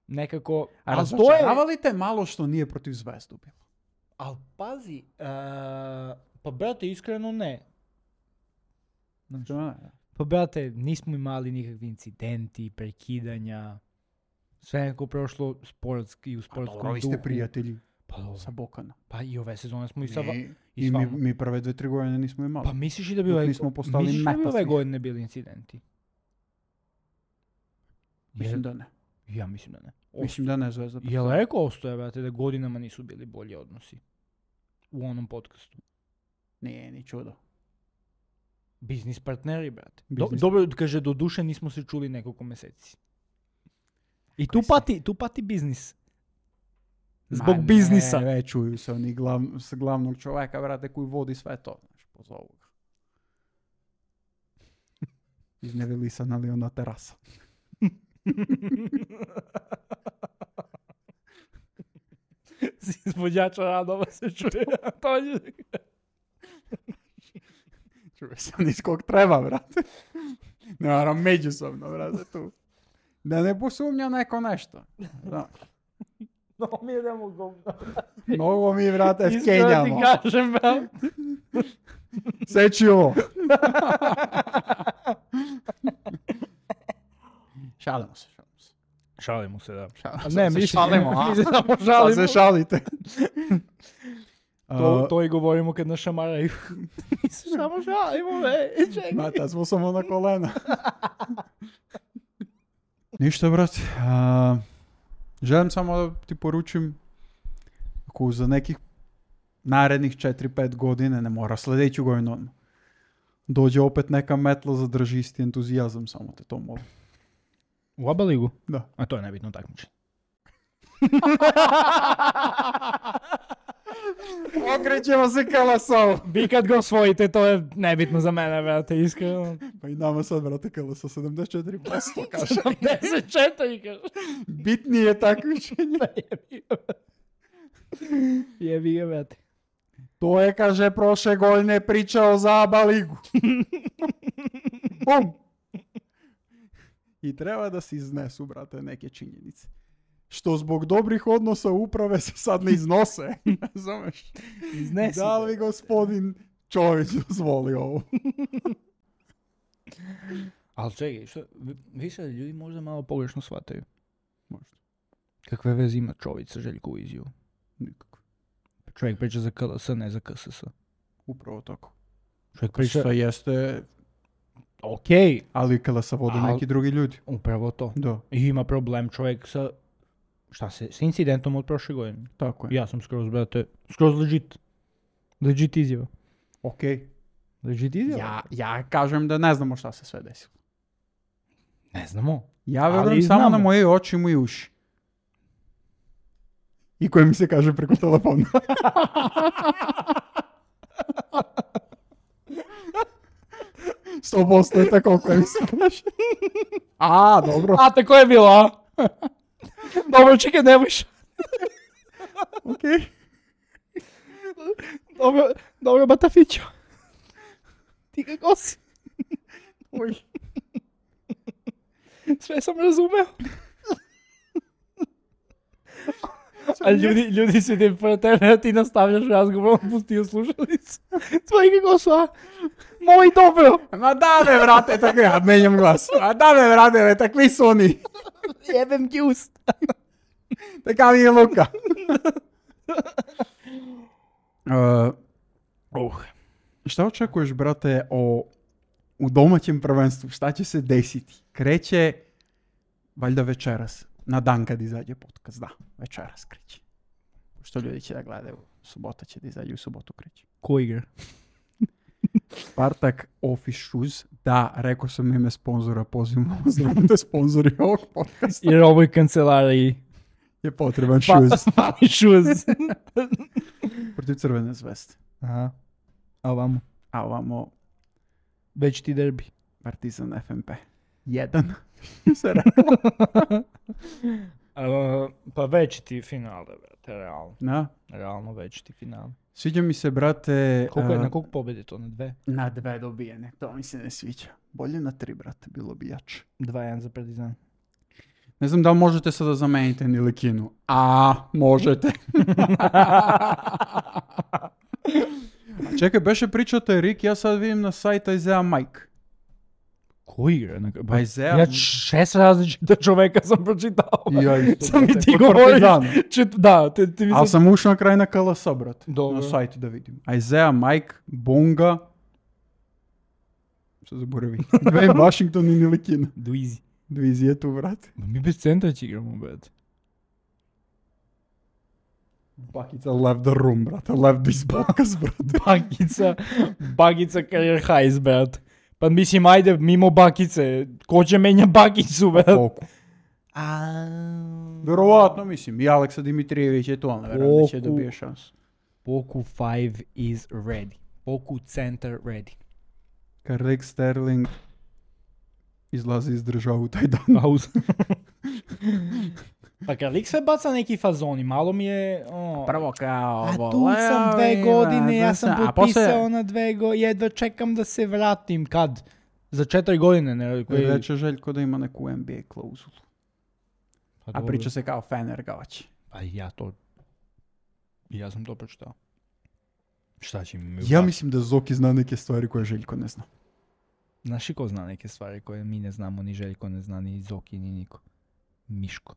nekako... A ali to je... razočarava li te malo što nije protiv Zvezdu bilo? Ali pazi, pa brate, iskreno ne. Znaš, To ne. pa brate, nismo imali nikakvi incidenti, prekidanja. Sve nekako prošlo sportski, u sportskom Dobro, vi duhu. ste prijatelji Pa dobro. sa Bokana. Pa i ove sezone smo i sa... I s mi, vama. mi prve 2-3 godine nismo imali. Pa misliš i da bi Dok ove... nismo postali misliš da bi meta ove svih. godine bili incidenti? Mislim da ne. Ja mislim da ne. Mislim da ne Zvezda. Jel rekao ostoje, brate, da godinama nisu bili bolji odnosi? U onom podcastu. Nije ni čudo. Biznis partneri, brate. Biznis- Dobro, kaže, do duše nismo se čuli nekoliko meseci. I tu pati biznis. Zbog biznisa. Ne, čuju se oni s glavnog čovjeka, brate, koji vodi sve to. Znaš, pozovu ga. Iz Nevelisana ali ona terasa. S izvođača radova se čuje. To je... Čuje se on iz kog treba, brate. Ne moram međusobno, brate, tu. Da ne posumnja neko nešto. Da. No, mi idemo govno. Mnogo mi, brate, Iskreno ti skenjamo. kažem, brate. Seći ovo. Šalimo se. Šalimo se, da. Ne, mi šalimo, a? Mi se samo Sad šalimo. se šalite. To i govorimo kad nas šamaraju. Mi se samo šalimo, čekaj. Mata, smo samo na kolena. Ništa, brate. Želim samo da ti poručim ako za nekih narednih 4-5 godine, ne mora sljedeću godinu odmah, dođe opet neka metla, zadrži isti entuzijazam, samo te to molim. U ABA ligu? Da. A to je nebitno takmičenje. Okrećemo se KLS-ovu. Vi kad ga osvojite, to je nebitno za mene, brate, iskreno. Pa i nama sad, brate, KLS 74%, kaže. 74, kaže. Bitnije je takmičenje. Jebi ga, brate. To je, kaže, prošle godine pričao za ABA ligu. Bum! I treba da se iznesu, brate, neke činjenice. što zbog dobrih odnosa uprave se sad ne iznose. Razumeš? Iznesi. Da li gospodin Čović dozvoli ovo? Ali čekaj, što, više ljudi možda malo pogrešno shvataju. Možda. Kakve veze ima Čović sa Željkovu izjavu? Nikako. Čovjek priča za KLS, ne za KSS. Upravo tako. Čovjek priča... Što jeste, Okej, ali kada se vode neki drugi ljudi. upravo to. Da, I ima problem čovjek sa... s incidentom od prošle godine. tako je. Ja sam skroz legit. Legit izjava. Okej. Legit izjava? Ja kažem da ne znamo šta se sve desilo. Ne znamo. Ja Ali verujem samo znamo. na moje oči i moje uši. I koje mi se kaže preko telefona. Sto posto je tako koje mi se kaže. A, dobro. A, tako je bilo, a? Dobro, čekaj, ne bojiš. Okej. Dobro, Batafićo. Ti kako si? Oj. Sve sam razumeo. A ljudi su ti pored tebe, a ti nastavljaš razgovor, on pustio slušalicu. Tvoji kako su, a? Moj dobro. Ma da me, vrate, tako ja menjam glas. Ma da me, vrate, takvi su oni. Jebem ti ust. Така mi je Luka. Šta očekuješ, brate, u domaćem prvenstvu? Šta će se desiti? Kreće, valjda večeras. Na dan kad izađe podcast. Da, večeras kreće. Što ljudi će da gledaju? Subota će da izađe, u subotu kreće. Ko igra? Spartak Office Shoes. Da, rekao sam ime sponzora, pozivamo vas da budete sponzori ovog podcasta. Jer ovoj kancelariji Je potreban shoes. Fali shoes. Protiv Crvene zvezde. Aha. A ovamo? A ovamo Već ti derbi. Partizan FNP. 1. Se rekao. Pa već ti finale, brate, realno. Da. Realno već ti finale. Sviđa mi se, brate... Na koliko pobjede to? Na 2? Na 2 dobijene. To mi se ne sviđa. Bolje na 3, brate. Bilo bi jače. 2-1 za Partizan. Ne znam da li možete sada zameniti Nilikinu. A, možete. A čekaj, beše pričate Rik, ja sad vidim na sajta Isaiah Mike. Ko igra? Isaiah... Ja 6 različita čoveka sam pročitao. Ja isto, Sam mi brate, ti kod govoriš. Partizana. Da, ti mi Ali sad... sam ušao na kraj na KLS, brate. Dobro. Na sajtu da vidim. Isaiah Mike, Bonga... Što zaboravi? Dwayne Washington i Nilikina. Duizi. Duizi je tu, brate. Mi bez centra će igramo, brate. Bakica left the room, brate. Left this podcast, brate. Bakica career highs, brate. Pa mislim, ajde, mimo Bakice. Ko će menja Bakicu, brate? Poku. Verovatno, mislim. I Aleksa Dimitrijević je to, ali verujem da će dobije šansu. Poku 5 is ready. Poku center ready. Rick Sterling izlazi iz država u taj dan. Pauza. Pa kad lik sve baca neki fazoni, malo mi je... Prvo kao... A tu sam 2 godine, ja sam potpisao na 2 godine, jedva čekam da se vratim. Kad? Za 4 godine, ne? Reče Željko da ima neku NBA klauzulu. Pa a priča se kao Fener ga hoće. Pa ja sam to pročitao. Šta će mi... Ja mislim da Zoki zna neke stvari koje Željko ne zna. Znaš i ko zna neke stvari koje mi ne znamo, ni Željko ne zna, ni Zoki, ni niko. Miško.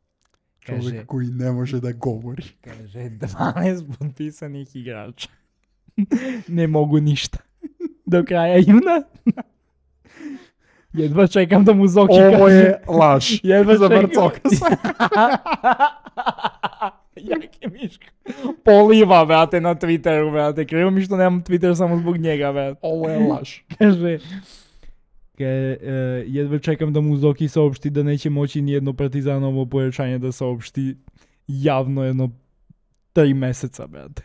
Čovjek koji ne može da govori. Kaže, 12 potpisanih igrača. Ne mogu ništa. Do kraja juna. Jedva čekam da mu Zoki kaže. Ovo je laž. Jedva za čekam. Barcoka. Jaki Miško. Poliva, brate, na Twitteru, brate. Krivo mi što nemam Twitter samo zbog njega, brate. Ovo je laž. Kaže... jedva čekam da mu Zoki saopšti da neće moći nijedno Partizanovo pojačanje da saopšti javno jedno 3 meseca, brate.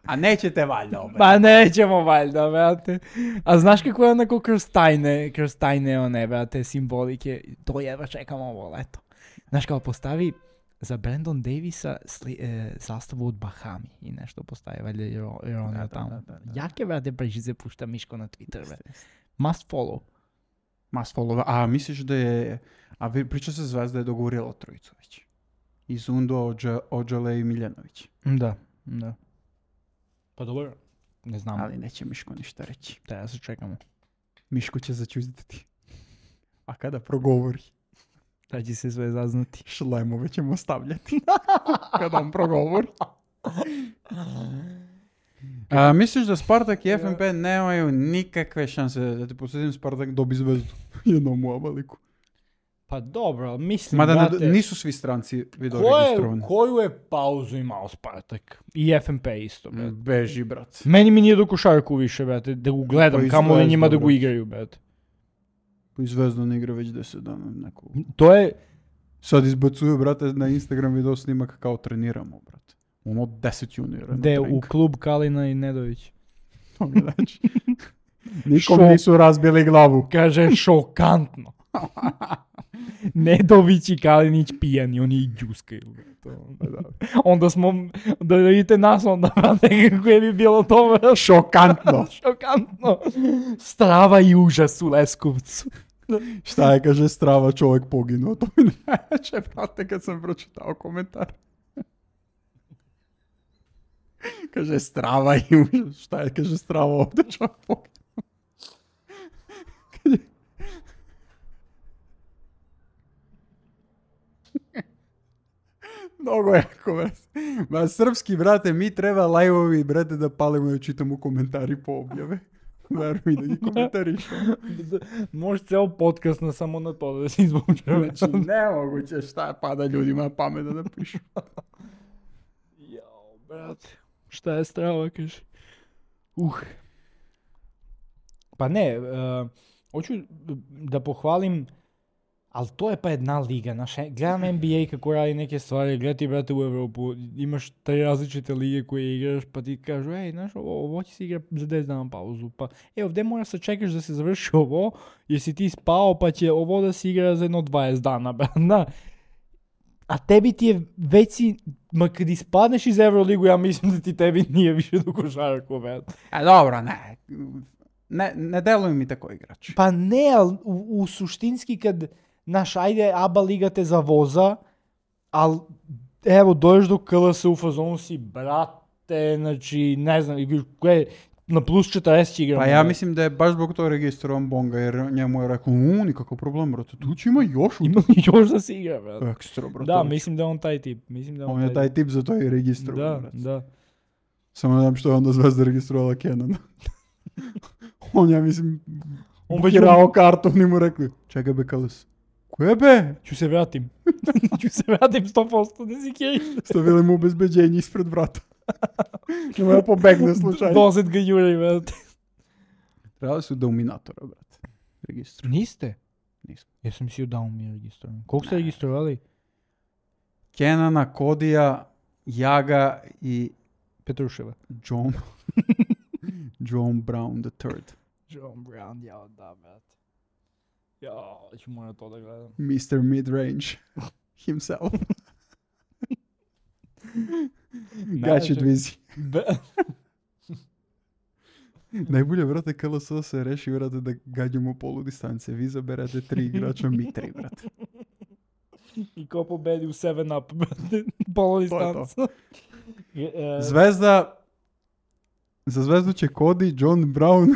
A nećete valjda opet? Pa nećemo valjda, brate. A znaš kako je onako kroz tajne one, brate, simbolike, to jedva čekam ovo leto. Znaš kao postavi za Brandon Davisa zastavu od Bahami i nešto postavi, valjda jer on je tamo. Jake, brate, prežice pušta Miško na Twitter, brate. Must follow. Must follow. A misliš da je... A priča se Zvezda je dogovorila trojicu već. Izundo, Ođole i Miljanović. Da. Pa dobro, ne znam. Ali neće Miško ništa reći. Da se čekamo. Miško će začuzditi. A kada progovori, Da će se sve zaznati. šlemove ćemo stavljati. Kada on progovori. Misliš da Spartak i FNP nemaju nikakve šanse da ti posjedim Spartak dobi Zvezdu jednom u Abaliku? Pa dobro, ali mislim Mada brate, nisu svi stranci video registrovani. koju je pauzu imao Spartak? I FNP isto, brate. Beži, brat. Meni mi nije do košarku više, brate, da ga gledam, Pa i kamo li Zvezda, njima da ga brate. igraju, brate. I Zvezda ne igra već 10 dana. Neko. To je, Sad izbacuju, brate, na Instagram video snimak kao treniramo, brate. Ono 10 juniora. gde u klub Kalina i Nedović. Znači. Nikom nisu razbili glavu. Kaže, šokantno. Nedović i Kalinić pijani, oni i džuskaju. Onda smo, da vidite nas onda, brate, kako je bi bilo to. Šokantno. Šokantno. Strava i užas u Leskovcu. Šta je, kaže, Strava, čovjek poginuo. To mi najveće, brate, kad sam pročitao komentar. Kaže, Strava i užas. Šta je, kaže, Strava, ovdje čovjek poginuo. Mnogo je koment. Ma srpski, brate, mi treba live-ovi, brate, da palimo i čitamo komentari po objave. Veruj da ih komentarišemo. Može ceo podcast na samo na to da se izvuče. Znači, nemoguće šta pada ljudima na pamet da napišu. Jao, brate. Šta je Strava, kaže? Pa ne, hoću da pohvalim, ali to je pa jedna liga. Gledam NBA kako radi neke stvari, gledaj ti, brate, u Evropu, imaš 3 različite lige koje igraš, pa ti kažu, ej, znaš, ovo će se igra za 10 dana pauzu, pa ovdje moraš se čekaš da se završi ovo, jer si ti spao, pa će ovo da se igra za jedno 20 dana, brate. A tebi ti je već si, kad ispadneš iz Euroligu, ja mislim da ti tebi nije više do košarku, brate. A dobro, ne deluju mi tako igrač. Pa ne, ali u suštinski kad, naš, ajde, ABA liga te zavoza, ali evo, dođeš do KLS u fazonu si, brate, znači, ne znam, na plus 40 igramo. Pa ja mislim da je baš zbog toga registrovan Bonga, jer njemu je rekao, nikakav problem, brate, tu će ima još. Ima još da se igra, brate. Ekstra, brate. Da, mislim da je on taj tip. On je taj tip, zato je registrovan, brate. Da. Samo ne znam što je onda Zvezda registrovала Kenana. On, ja mislim, bukirao kartu, oni mu rekli, čekaj be, KLS. Koje be? Ću se vratim. Ću se vratim 100%, ne si kjeri. Stavili mu obezbeđenje ispred vrata. Nema da pobegne slučajno. Dozet ga juri, brate. Trebali su dominatora, brate. Registru. Niste? Nismo. Ja sam mislio da mi je registrovan. Koliko ste registrovali? Kenana, Kodija, Jaga i Petruševa. John Brown III. John Brown, jao da, brate. Jao, ću morat to da gledam. Mr. Midrange himself. Gaći dvizi. Najbolje, brate, KLS se reši, brate, da gađamo polu distance. Vi zaberete 3 igrača, mi 3, brate. I ko pobedi u 7-up, brate, polo distanca. Zvezda, za Zvezdu će Cody, John Brown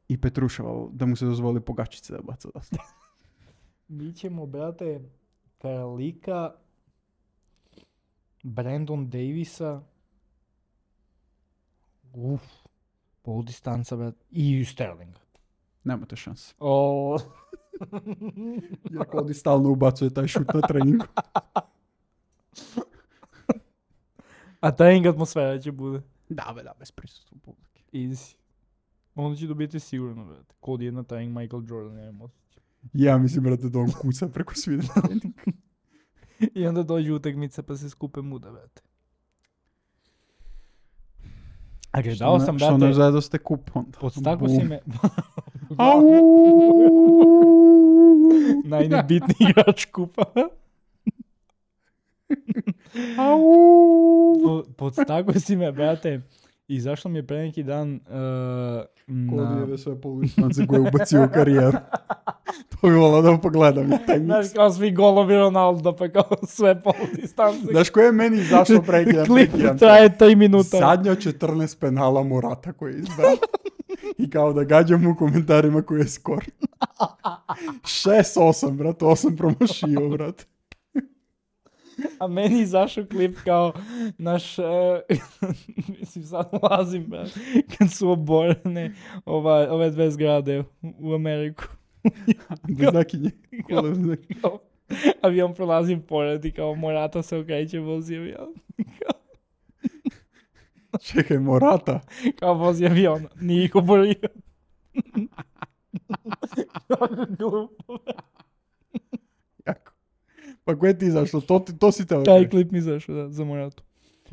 i Petruševa, da mu se dozvoli pogačice da baca dosta. Mi ćemo, brate, Karolika, Brandon Davisa, pol distanca, brate, i Sterlinga. Nemate šanse. Jer Cody stalno ubacuje taj šut na treningu. A trening atmosfera će bude. Da, bez prisustva publike. Easy. Onda će dobiti sigurno, brate. Cody je na trening Michael Jordan, ja imam osjećaj. Ja mislim, brate, da on kuca preko svih trening. I onda dođe utakmica pa se skupe muda, brate. A gledao sam, brate... Što ne zajedoste kup onda. Podstako si me... Najnebitniji igrač kupa. Podstako si me, brate. Izašlo mi je pre neki dan Kodijeve sve poludistance koje je ubacio u karijeru. To bi volao da pogledam taj Znaš, miks. kao svi golovi Ronaldo, pa kao sve poludistance. Znaš koje je meni izašlo prekidam? Klip traje 3 minuta. Zadnja 14 penala Morata koji je izbrao. I kao da gađam u komentarima koji je skor. 6-8, brat, 8 promašio, brat. A meni izašao klip kao naš, mislim sad ulazim, brat, kad su oborene ove dve zgrade u Ameriku. Beznakinje. Kao, avion prolazim pored i kao Morata se okreće, vozi avion. Čekaj, Morata. Kao vozi avion, nije ih oborio. Kako glupo. Jako. Pa koje ti izašlo? To si teo. Taj klip mi izašao, da, za Moratu.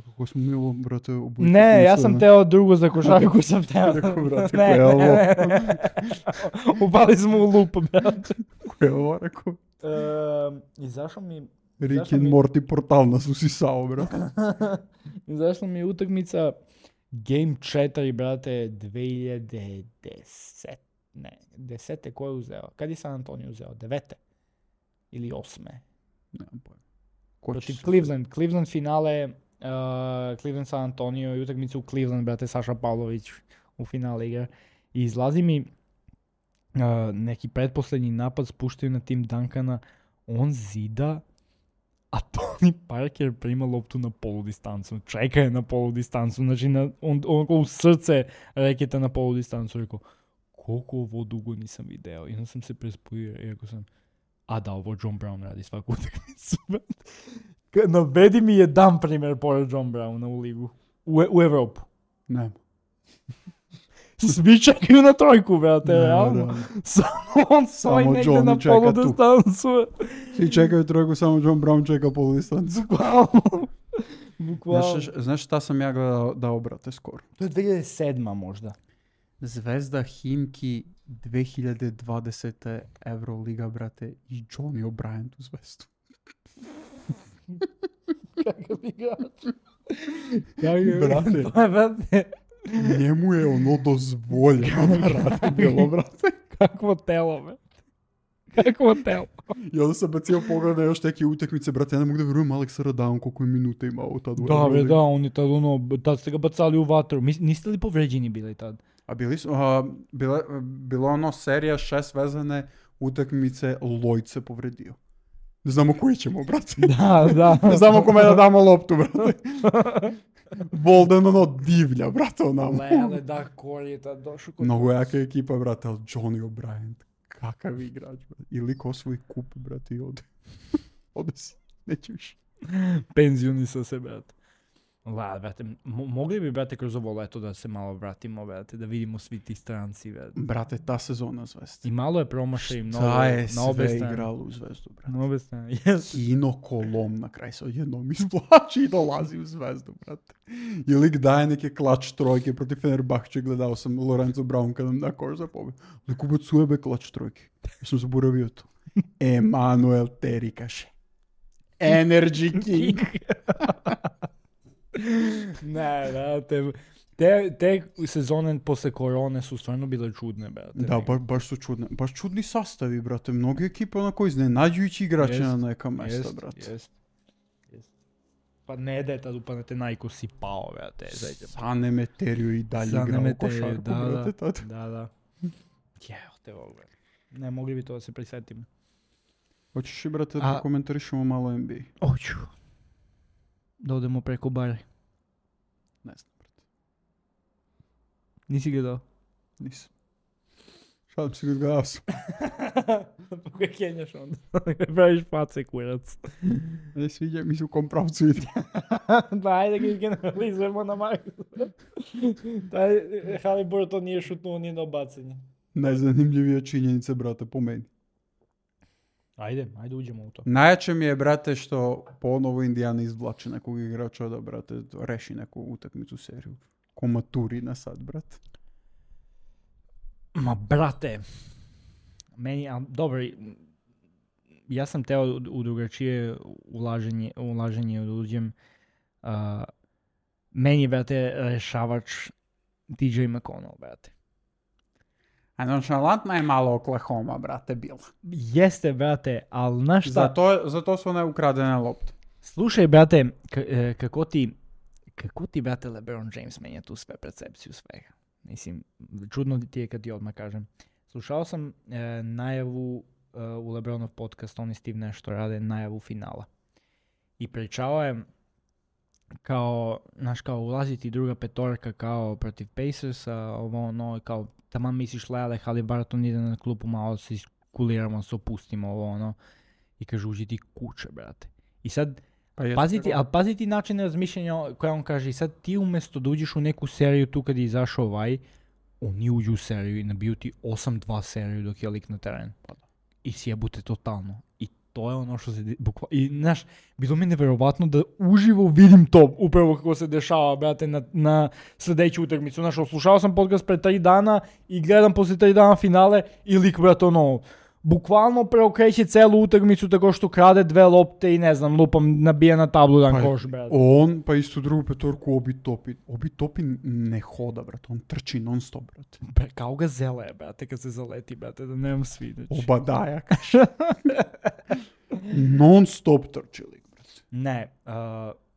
Kako smo mi ovo, brate, obući? Ne, ja sam teo drugo za košarku sam teo. Rekao, brate, Ne, koje je ovo? ne. Upali smo u lup, brate. Koje je ovo, rekao? Izašao mi... Rick and Morty portal nas usisao, brate. Izašla mi je utakmica Game 4, brate, 2010. Ne, 10. ko je uzeo? Kad je San Antonio uzeo? 9. Ili 8. Nemam pojma. Ko će Protiv se- Cleveland finale, Cleveland San Antonio i utakmicu u Cleveland, brate, Saša Pavlović u finale igra. I izlazi mi neki pretposlednji napad, spuštaju na tim Duncana, on zida, a Tony Parker prima loptu na poludistancu, čeka je na poludistancu, znači on u srce reketa na poludistancu, rekao, koliko ovo dugo nisam video, i onda sam se prespojio i rekao sam, a da, ovo John Brown radi svaku utakmicu. Navedi mi jedan primjer pored John Browna u ligu, u Evropu. Nema. Svi čekaju na trojku, brate, Ne, realno. realno. Samo on stoji Samo negdje Johnny na čeka tu. poludistancu. Svi čekaju trojku, samo John Brown čeka poludistancu. Bukvalno. Znaš šta sam ja gledao da obrate skoro? To je 2007. možda. Zvezda Himki 2020. Euroliga, brate, i Johnny O'Brien u Zvezdu. Kakav igrač. Brate. To je, brate, Njemu je ono dozvoljeno da radi bilo, brate. kakvo telo, brate. Kakvo telo. I onda sam bacio pogled na još neke utakmice, brate, ja ne mogu da vjerujem Alexa Radaon koliko je minuta imao tad u Da, bre, Euroligi. da, on je tad tad ste ga bacali u vatru. Niste li povređeni bili tad? A bila ono serija 6 vezane utakmice, Lloyd se povredio. Ne znamo koji ćemo, brate. Da. Ne znamo kome da damo loptu, brate. Bolden ono divlja, brate, onamo. Lele, da, Corey je tad došao kod... Mnogo jaka ekipa, brate, ali Johnny O'Brien, kakav igrač, brate. Ili ko svoj kup, brate, i ode. Ode si, neće više. Penzionisa se, brate. La, brate, mogli bi, brate, kroz ovo leto da se malo vratimo, brate, da vidimo svi ti stranci, brate. Brate, ta sezona Zvezda. I malo je promašaj mnogo Ta je na obe sve strane. igralo u Zvezdu, brate. Na obe strane, yes. Kino Kolom na kraj se odjednom isplači i dolazi u Zvezdu, brate. I lik daje neke klač trojke protiv Fenerbahče, gledao sam Lorenzo Brown kad nam da koš za pobjed. Lik ubacuje be klač trojke. Ja sam zaboravio to. Emanuel Teri kaže. Energy King. Ne, brate, te sezone posle korone su stvarno bile čudne, brate. Da, baš su čudne. Baš čudni sastavi, brate. Mnogi ekipe onako iznenađujući igrače na neka mesta, brate. Jest. Pa ne da je tad upadnete najko si pao, brate. Sane Meterio i dalje igrao u košarku, brate, tad. Da. Jeo te ovo, brate. Ne, mogli bi to da se prisetimo. Hoćeš i, brate, da komentarišemo malo NBA? Hoću. Da odemo preko bare. Ne znam, brate. Nisi gledao? Nisam. Šalim se gledao sam. Pa kaj kenjaš onda? Praviš pace, kurac. Ne sviđa mi se u kom pravcu ide. Da, ajde ga generalizujemo na Marku. Taj Haliburton nije šutnuo ni na bacanje. Najzanimljivija činjenica, brate, po meni. Ajde uđemo u to. Najjače mi je, brate, što ponovo Indijana izvlači nekog igrača da, brate, reši neku utakmicu seriju. Ko Maturina sad, brate. Ma, brate, meni, dobro, ja sam teo u drugačije ulaženje da uđem. Meni je, brate, rešavač TJ McConnell, brate. A nonšalantna je malo Oklahoma, brate, bila. Jeste, brate, ali znaš šta? Zato su one ukradene lopte. Slušaj, brate, kako ti, brate, LeBron James menja tu sve percepciju svega. Mislim, čudno ti je kad ti odmah kažem. Slušao sam najavu u LeBronov podcast, on i Steve nešto rade, najavu finala. I pričao je kao, znaš, kao ulaziti druga petorka kao protiv Pacersa, ovo ono, kao taman misliš Lele, Haliburton ide na klupu, malo se iskuliramo, se opustimo, ovo ono. I kaže, uđi ti kuće, brate. I sad, paziti način razmišljanja koja on kaže, i sad ti umjesto da uđeš u neku seriju tu kad je izašao oni uđu u seriju i nabiju ti 8-2 seriju dok je lik na terenu. I sjebute totalno. I to je ono što se I znaš, bilo mi neverovatno da uživo vidim to upravo kako se dešava, brate, na sljedeću utakmicu. Znaš, slušao sam podcast pre 3 dana i gledam poslije 3 dana finale i lik, brate, ono, bukvalno preokreće celu utakmicu tako što krade 2 lopte i ne znam, lupam, nabija na tablu dan koš, brate. On, pa isto drugu petorku Obi Topi ne hoda, brate, on trči non stop, brate. Kao ga zele, brate, kad se zaleti, brate, da nemam sviđać. Obadaja, kaže. Non stop trči lik, brate. Ne,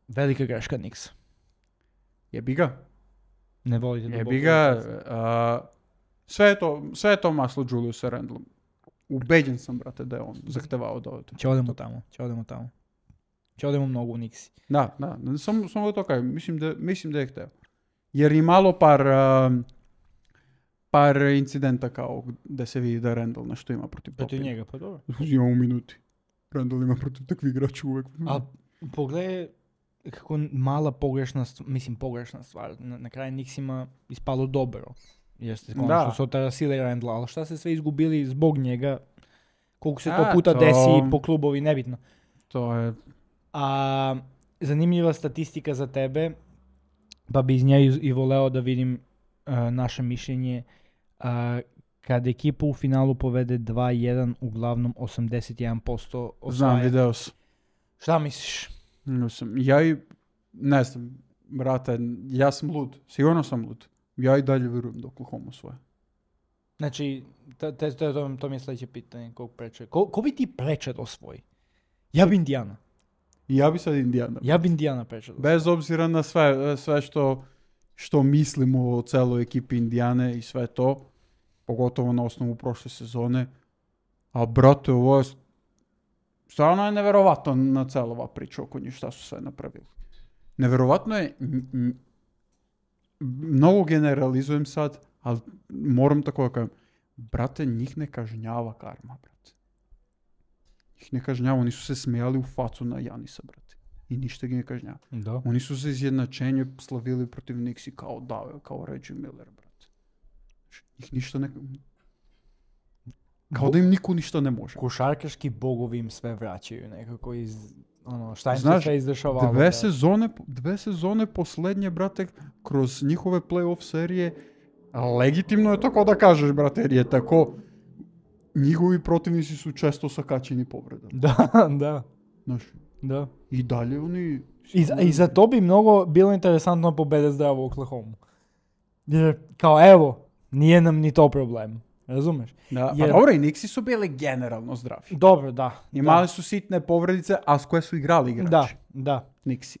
velika greška Knicks. Jebi ga. Ne volite da Jebi ga, sve je to maslo Juliusa Randlom. Ubeđen sam, brate, da je on zahtevao da ode. Će odemo tamo. Će odemo mnogo u Nixi. Da, samo da to kažem. Mislim da je hteo. Jer i malo par incidenta kao da se vidi da Randall nešto ima protiv Topina. Protiv njega, pa dobro. Ima u minuti. Randall ima protiv takvih igrača uvek. A pogledaj kako mala pogrešna stvar. Na kraju Nixima ispalo dobro. Jeste, konačno su otarasili Randla, ali šta se sve izgubili zbog njega, koliko se to puta desi po klubovi, nebitno. To je... A zanimljiva statistika za tebe, pa bi iz nje i voleo da vidim naše mišljenje. Kad ekipa u finalu povede 2-1, uglavnom 81% osvaja. Znam, video sam. Šta misliš? Ne znam, brate, ja sam lud. Sigurno sam lud. Ja i dalje vjerujem da Oklahoma osvaja. Znači, to mi je sljedeće pitanje. Ko bi ti preče da osvoji? Ja bi Indiana. Ja bi sad Indiana. Ja bi Indiana preče da osvoji. Bez obzira na sve što mislimo o celoj ekipi Indijane i sve to, pogotovo na osnovu prošle sezone. A brate, ovo je stvarno je neverovatno na cela ova priča oko njih šta su sve napravili. Neverovatno je, mnogo generalizujem sad, ali moram tako da kažem, brate, njih ne kažnjava karma, brate. Njih ne kažnjava, oni su se smijali u facu na Janisa, brate. I ništa ga ne kažnjava. Da. Oni su se izjednačenje slavili protiv Knicksi kao Reggie Miller, brate. Njih ništa ne... Kao da im niko ništa ne može. Košarkaški bogovi im sve vraćaju nekako iz... šta im se sve izdešavalo. Dve sezone poslednje, brate, kroz njihove play-off serije, legitimno je tako da kažeš, brate, jer je tako, njihovi protivnici su često sakaćeni povredama. Da. Znaš, da. I dalje oni... I za to bi mnogo bilo interesantno pobede zdravo u Oklahomu. Jer, kao evo, nije nam ni to problem. Razumeš? Da, jer... dobro, i Knicksi su bili generalno zdravi. Dobro, da. Imali su sitne povredice, a s koje su igrali igrači. Da. Knicksi.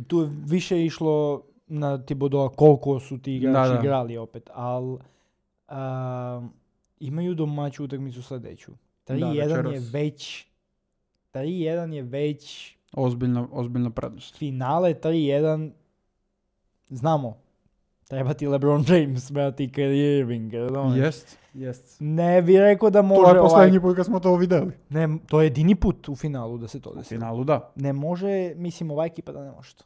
Tu je više išlo na Thibodeau koliko su ti igrači igrali opet, ali imaju domaću utakmicu sledeću. 3-1 je već ozbiljna prednost. Finale 3-1, znamo. Treba ti LeBron James, brati, i Kyrie Irving. Jest. Ne bi rekao da može... To je poslednji put kad smo to videli. Ne, to je jedini put u finalu da se to desi. U finalu, da. Ne može, mislim, ova ekipa da ne može to.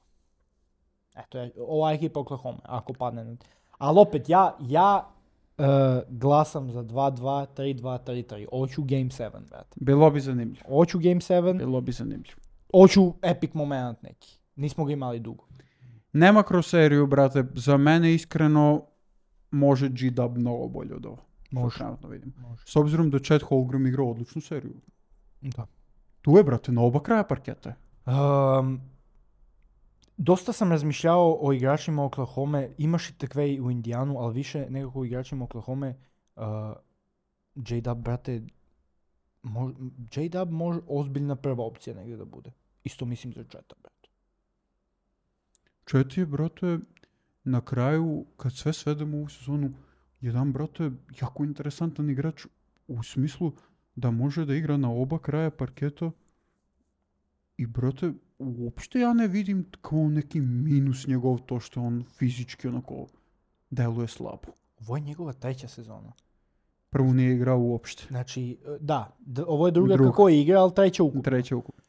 Eto, ova ekipa Oklahoma, ako padne. Ali opet, ja glasam za 2-2, 3-2, 3-3. Hoću Game 7, brate. Bilo bi zanimljivo. Hoću Game 7. Hoću epic moment neki. Nismo ga imali dugo. Nema kroz seriju, brate. Za mene iskreno može G-Dub mnogo bolje od ovo. Može. S obzirom da Chet Holmgren igrao odličnu seriju. Da. Tu je, brate, na oba kraja parketa. Dosta sam razmišljao o igračima Oklahome. Imaš i takve u Indijanu, ali više nekako o igračima Oklahome J-Dub, brate, J-Dub može ozbiljna prva opcija negdje da bude. Isto mislim za Četa, brate. Čet je, brate, na kraju, kad sve svedemo u sezonu, jedan, brate, jako interesantan igrač u smislu da može da igra na oba kraja parketa i, brate, uopšte ja ne vidim kao neki minus njegov to što on fizički onako deluje slabo. Ovo je njegova treća sezona. Prvu nije igrao uopšte. Znači, da, ovo je druga Druga. kako je igra, ali treća ukupno. Treća ukupno.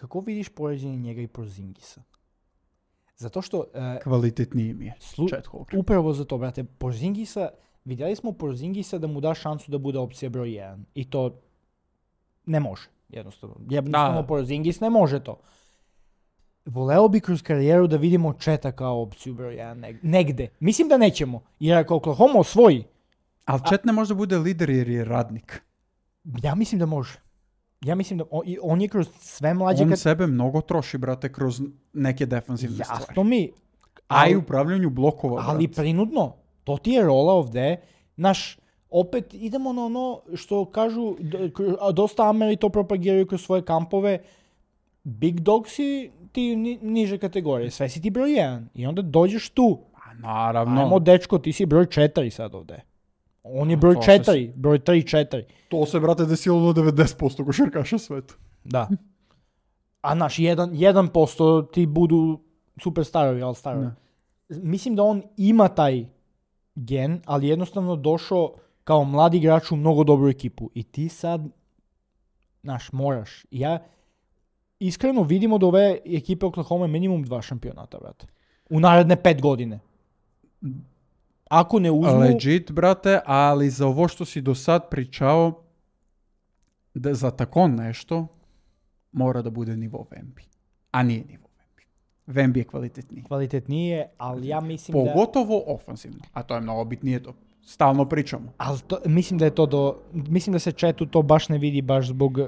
Kako vidiš poređenje njega i Porzingisa? Zato što... Kvalitetniji mi je. Chet Holmgren. Upravo za to, brate. Porzingisa, vidjeli smo Porzingisa da mu da šansu da bude opcija broj 1. I to ne može. Jednostavno Porzingis ne može to. Voleo bi kroz karijeru da vidimo Četa kao opciju broj 1 negde. Mislim da nećemo. Jer ako Oklahoma osvoji... Ali Čet ne može da bude lider jer je radnik. Ja mislim da može. Ja mislim da on je kroz sve mlađe... On sebe mnogo troši, brate, kroz neke defanzivne stvari. Jasno mi. A i upravljanju blokova, brate. Ali prinudno. To ti je rola ovde. Opet idemo na ono što kažu, dosta Ameri to propagiraju kroz svoje kampove. Big dog si ti niže kategorije. Sve si ti broj 1. I onda dođeš tu. A naravno. Ajmo, dečko, ti si broj 4 sad ovde. On je broj 4, broj 3-4. To se, brate, desilo na 90% košarkaša sveta. Da. A 1% ti budu superstarovi, ali starovi. Mislim da on ima taj gen, ali jednostavno došao kao mladi igrač u mnogo dobru ekipu. I ti sad, moraš. Ja iskreno vidim od ove ekipe Oklahoma minimum 2 šampionata, brate. U naredne 5 godine. Ako ne uzmu... Legit, brate, ali za ovo što si do sad pričao, da za tako nešto mora da bude nivo Wemby. A nije nivo Wemby. Wemby je kvalitetniji. Kvalitetnije, ali ja mislim Pogotovo ofanzivno. A to je mnogo bitnije to. Stalno pričamo. Ali mislim da je to mislim da se Četu to baš ne vidi baš zbog...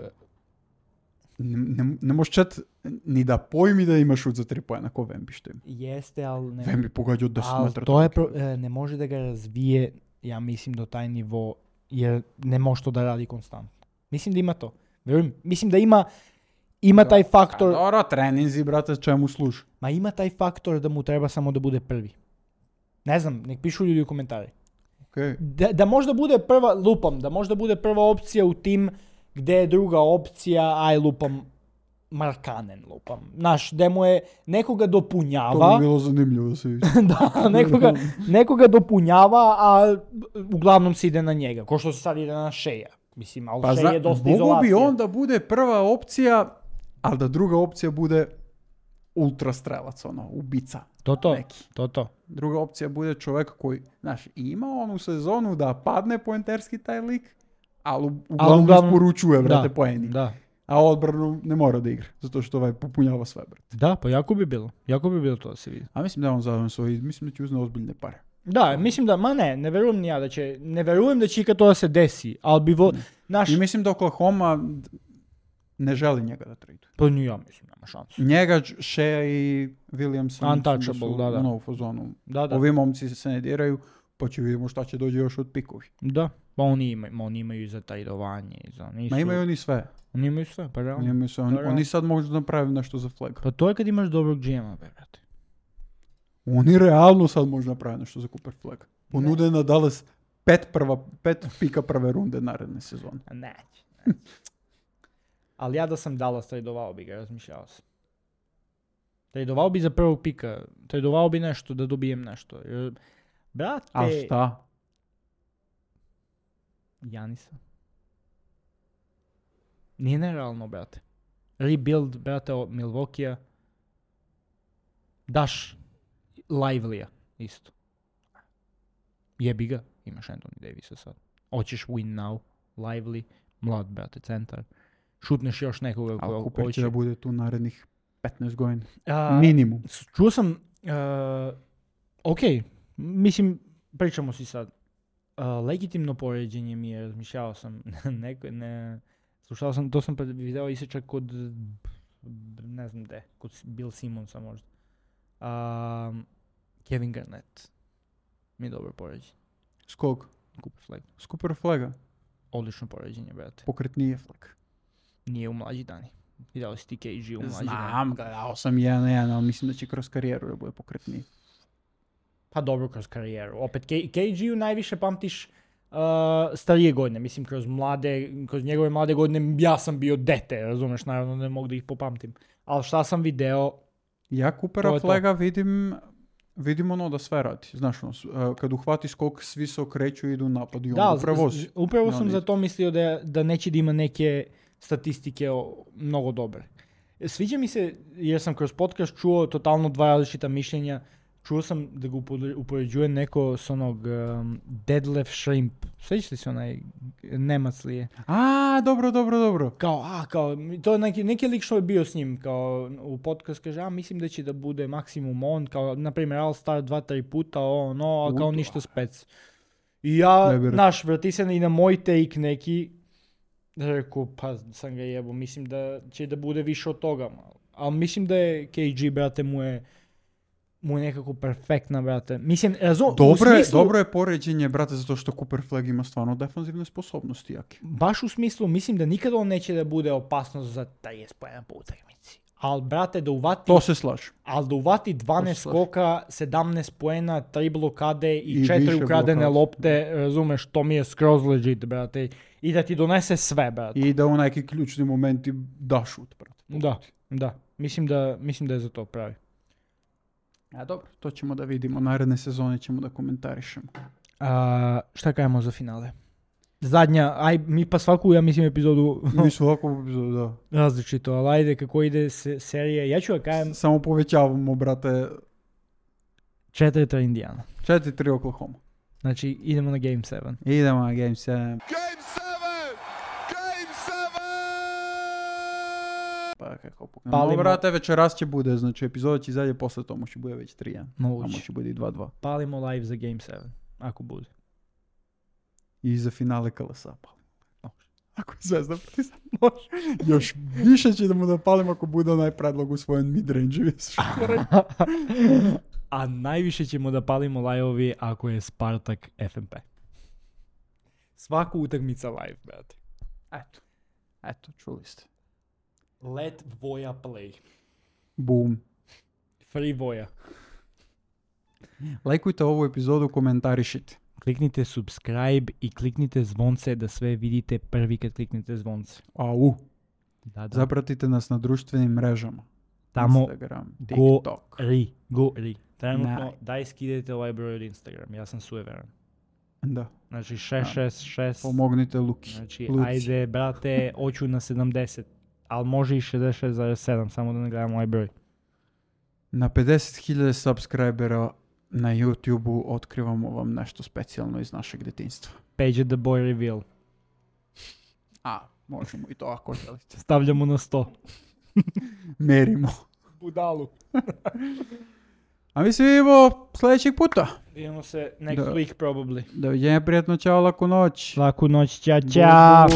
Ne može Čet ni da pojmi da ima šut za 3 poena ko Wemby što ima. Jeste, ali... Wemby pogađa od 10 metara. To je ne može da ga razvije, ja mislim, do taj nivo, jer ne može to da radi konstantno. Mislim da ima to. Verujem. Mislim da ima taj faktor... Dobro, treninzi, brate, čemu služi? Ma ima taj faktor da mu treba samo da bude prvi. Ne znam, nek pišu ljudi u komentari. Okay. Da možda bude da možda bude prva opcija u tim gde je druga opcija, Markanen lupam. Gde mu je nekoga dopunjava. To bi bilo zanimljivo da se vidi. Da, nekoga dopunjava, a uglavnom se ide na njega. Ko što se sad ide na Sheja. Mislim, ali Shea je dosta izolacija. Mogu bi on da bude prva opcija, ali da druga opcija bude ultra strelac, ubica. To. Druga opcija bude čovjek koji, ima onu sezonu da padne poenterski taj lik, ali uglavnom isporučuje, brate, poeni. Da. A odbranu ne mora da igra, zato što popunjava sve, brate. Da, pa jako bi bilo to da se vidi. A mislim da on zadovoljno svoj, mislim da će uzne ozbiljne pare. Da, mislim da, ne verujem ni ja ne verujem da će ikad to da se desi, ali bi I mislim da Oklahoma ne želi njega da trade. Pa ni ja mislim, nema šansu. Njega, Shea i Williamson Untouchable, da. U novu fazonu. Da. Ovi momci se ne diraju, pa će vidimo šta će dođe još od pikovi. Da, pa oni imaju i za trajdovanje. Ma imaju oni sve. Oni imaju sve, pa realno. Oni sad mogu da napraviti nešto za flag. Pa to je kad imaš dobrog GM-a, brate. Oni realno sad može napraviti nešto za Cooper Flag. Ponude na Dallas 5 pika prve runde naredne sezone. Neće. Ali ja da sam Dallas trajdovao bi ga, razmišljao sam. Trajdovao bi za prvog pika. Trajdovao bi nešto, da dobijem nešto. Brate... A šta? Janisa. Nije nerealno, brate. Rebuild, brate, Milwaukee-a. Daš Lively-a, isto. Jebi ga, imaš Anthony Davisa sad. Hoćeš win now, Lively, mlad, brate, centar. Šutneš još nekoga ko Cooper će da bude tu narednih 15 godina. Minimum. Čuo sam, mislim, pričamo si sad. Legitimno poređenje mi je, razmišljao sam, slušao sam, to sam video isječak kod, ne znam gde, kod Bill Simonsa možda. Kevin Garnett mi je dobro poređenje. S kog? Cooper Flag. S Cooper Flaga. Odlično poređenje, brate. Pokretnije Flag. Nije u mlađi dani. Vidjeli si ti KG u mlađi dani. Znam, gledao sam 1-1, ali mislim da će kroz karijeru da bude pokretniji. Pa dobro, kroz karijeru. Opet, KG-u najviše pamtiš starije godine. Mislim, kroz njegove mlade godine ja sam bio dete, razumeš, naravno ne mogu da ih popamtim. Ali šta sam video... Ja Coopera to. Flaga vidim ono da sve radi. Znaš, kad uhvati skok, svi se okreću i idu napad i on uprevozi. Upravo sam za to mislio da neće da ima neke statistike mnogo dobre. Sviđa mi se, jer sam kroz podcast čuo totalno dva različita mišljenja. Čuo sam da ga upoređuje neko s onog Detlef Schrempf. Sjećaš li se onaj Nemac li je? Dobro. Kao, to je neki lik što je bio s njim, kao u podcast kaže, mislim da će da bude maksimum on, kao, na primjer, All Star 2-3 puta, a kao ništa spec. I ja, vrati se i na moj take neki, rekao, pa sam ga jebo, mislim da će da bude više od toga, ali mislim da je KG, brate, mu je nekako perfektna, brate. Mislim, Dobro je poređenje, brate, zato što Cooper Flag ima stvarno defanzivne sposobnosti jake. Baš u smislu, mislim da nikada on neće da bude opasnost za 30 poena po utakmici. Ali, brate, da uvati... To se slaže. Ali da uvati 12 skoka, 17 poena, 3 blokade i 4 ukradene lopte, razumeš, to mi je skroz legit, brate. I da ti donese sve, brate. I da u neki ključni momenti da šut, brate. Da. Mislim da je za to pravi. A dobro, to ćemo da vidimo. Naredne sezone ćemo da komentarišemo. Šta kajemo za finale? Zadnja, mi pa svaku, ja mislim, epizodu... Mi svaku epizodu, da. Različito, ali ajde, kako ide serije. Ja ću da kajem... Samo povećavamo, brate. 4-3 Indiana. 4-3 Oklahoma. Znači, idemo na Game 7. Idemo na Game 7. Pa kako pokrenemo. Brate, večeras će bude, znači epizoda će izađe posle tomu će bude već 3-1. Moguće. Tamo će bude i 2-2. Palimo live za Game 7, ako bude. I za finale KLS-a palimo. Ako je Zvezda Partizan, može. Još više ćemo da palimo ako bude onaj predlog usvojen midrange. A najviše ćemo da palimo live-ovi ako je Spartak FNP. Svaku utakmica live, brate. Eto, čuli ste. Let Voja play. Boom. Free Voja. Lajkujte ovu epizodu, komentarišite. Kliknite subscribe i kliknite zvonce da sve vidite prvi kad kliknite zvonce. Da. Zapratite nas na društvenim mrežama. Tamo Instagram, TikTok. Gori. Trenutno daj skidajte ovaj broj od Instagram. Ja sam sujeveran. Da. Znači 666. Pomognite Luki. Znači ajde brate, hoću na 70. Ali može i 66,7, samo da ne gledamo ovaj broj. Na 50.000 subscribera na YouTube-u otkrivamo vam nešto specijalno iz našeg detinjstva. Page the boy reveal. Možemo i to ako želite. Stavljamo na 100. Merimo. Budalu. A mi se vidimo sljedećeg puta. Vidimo se next week probably. Doviđenja, prijatno, čao, laku noć. Laku noć, čao.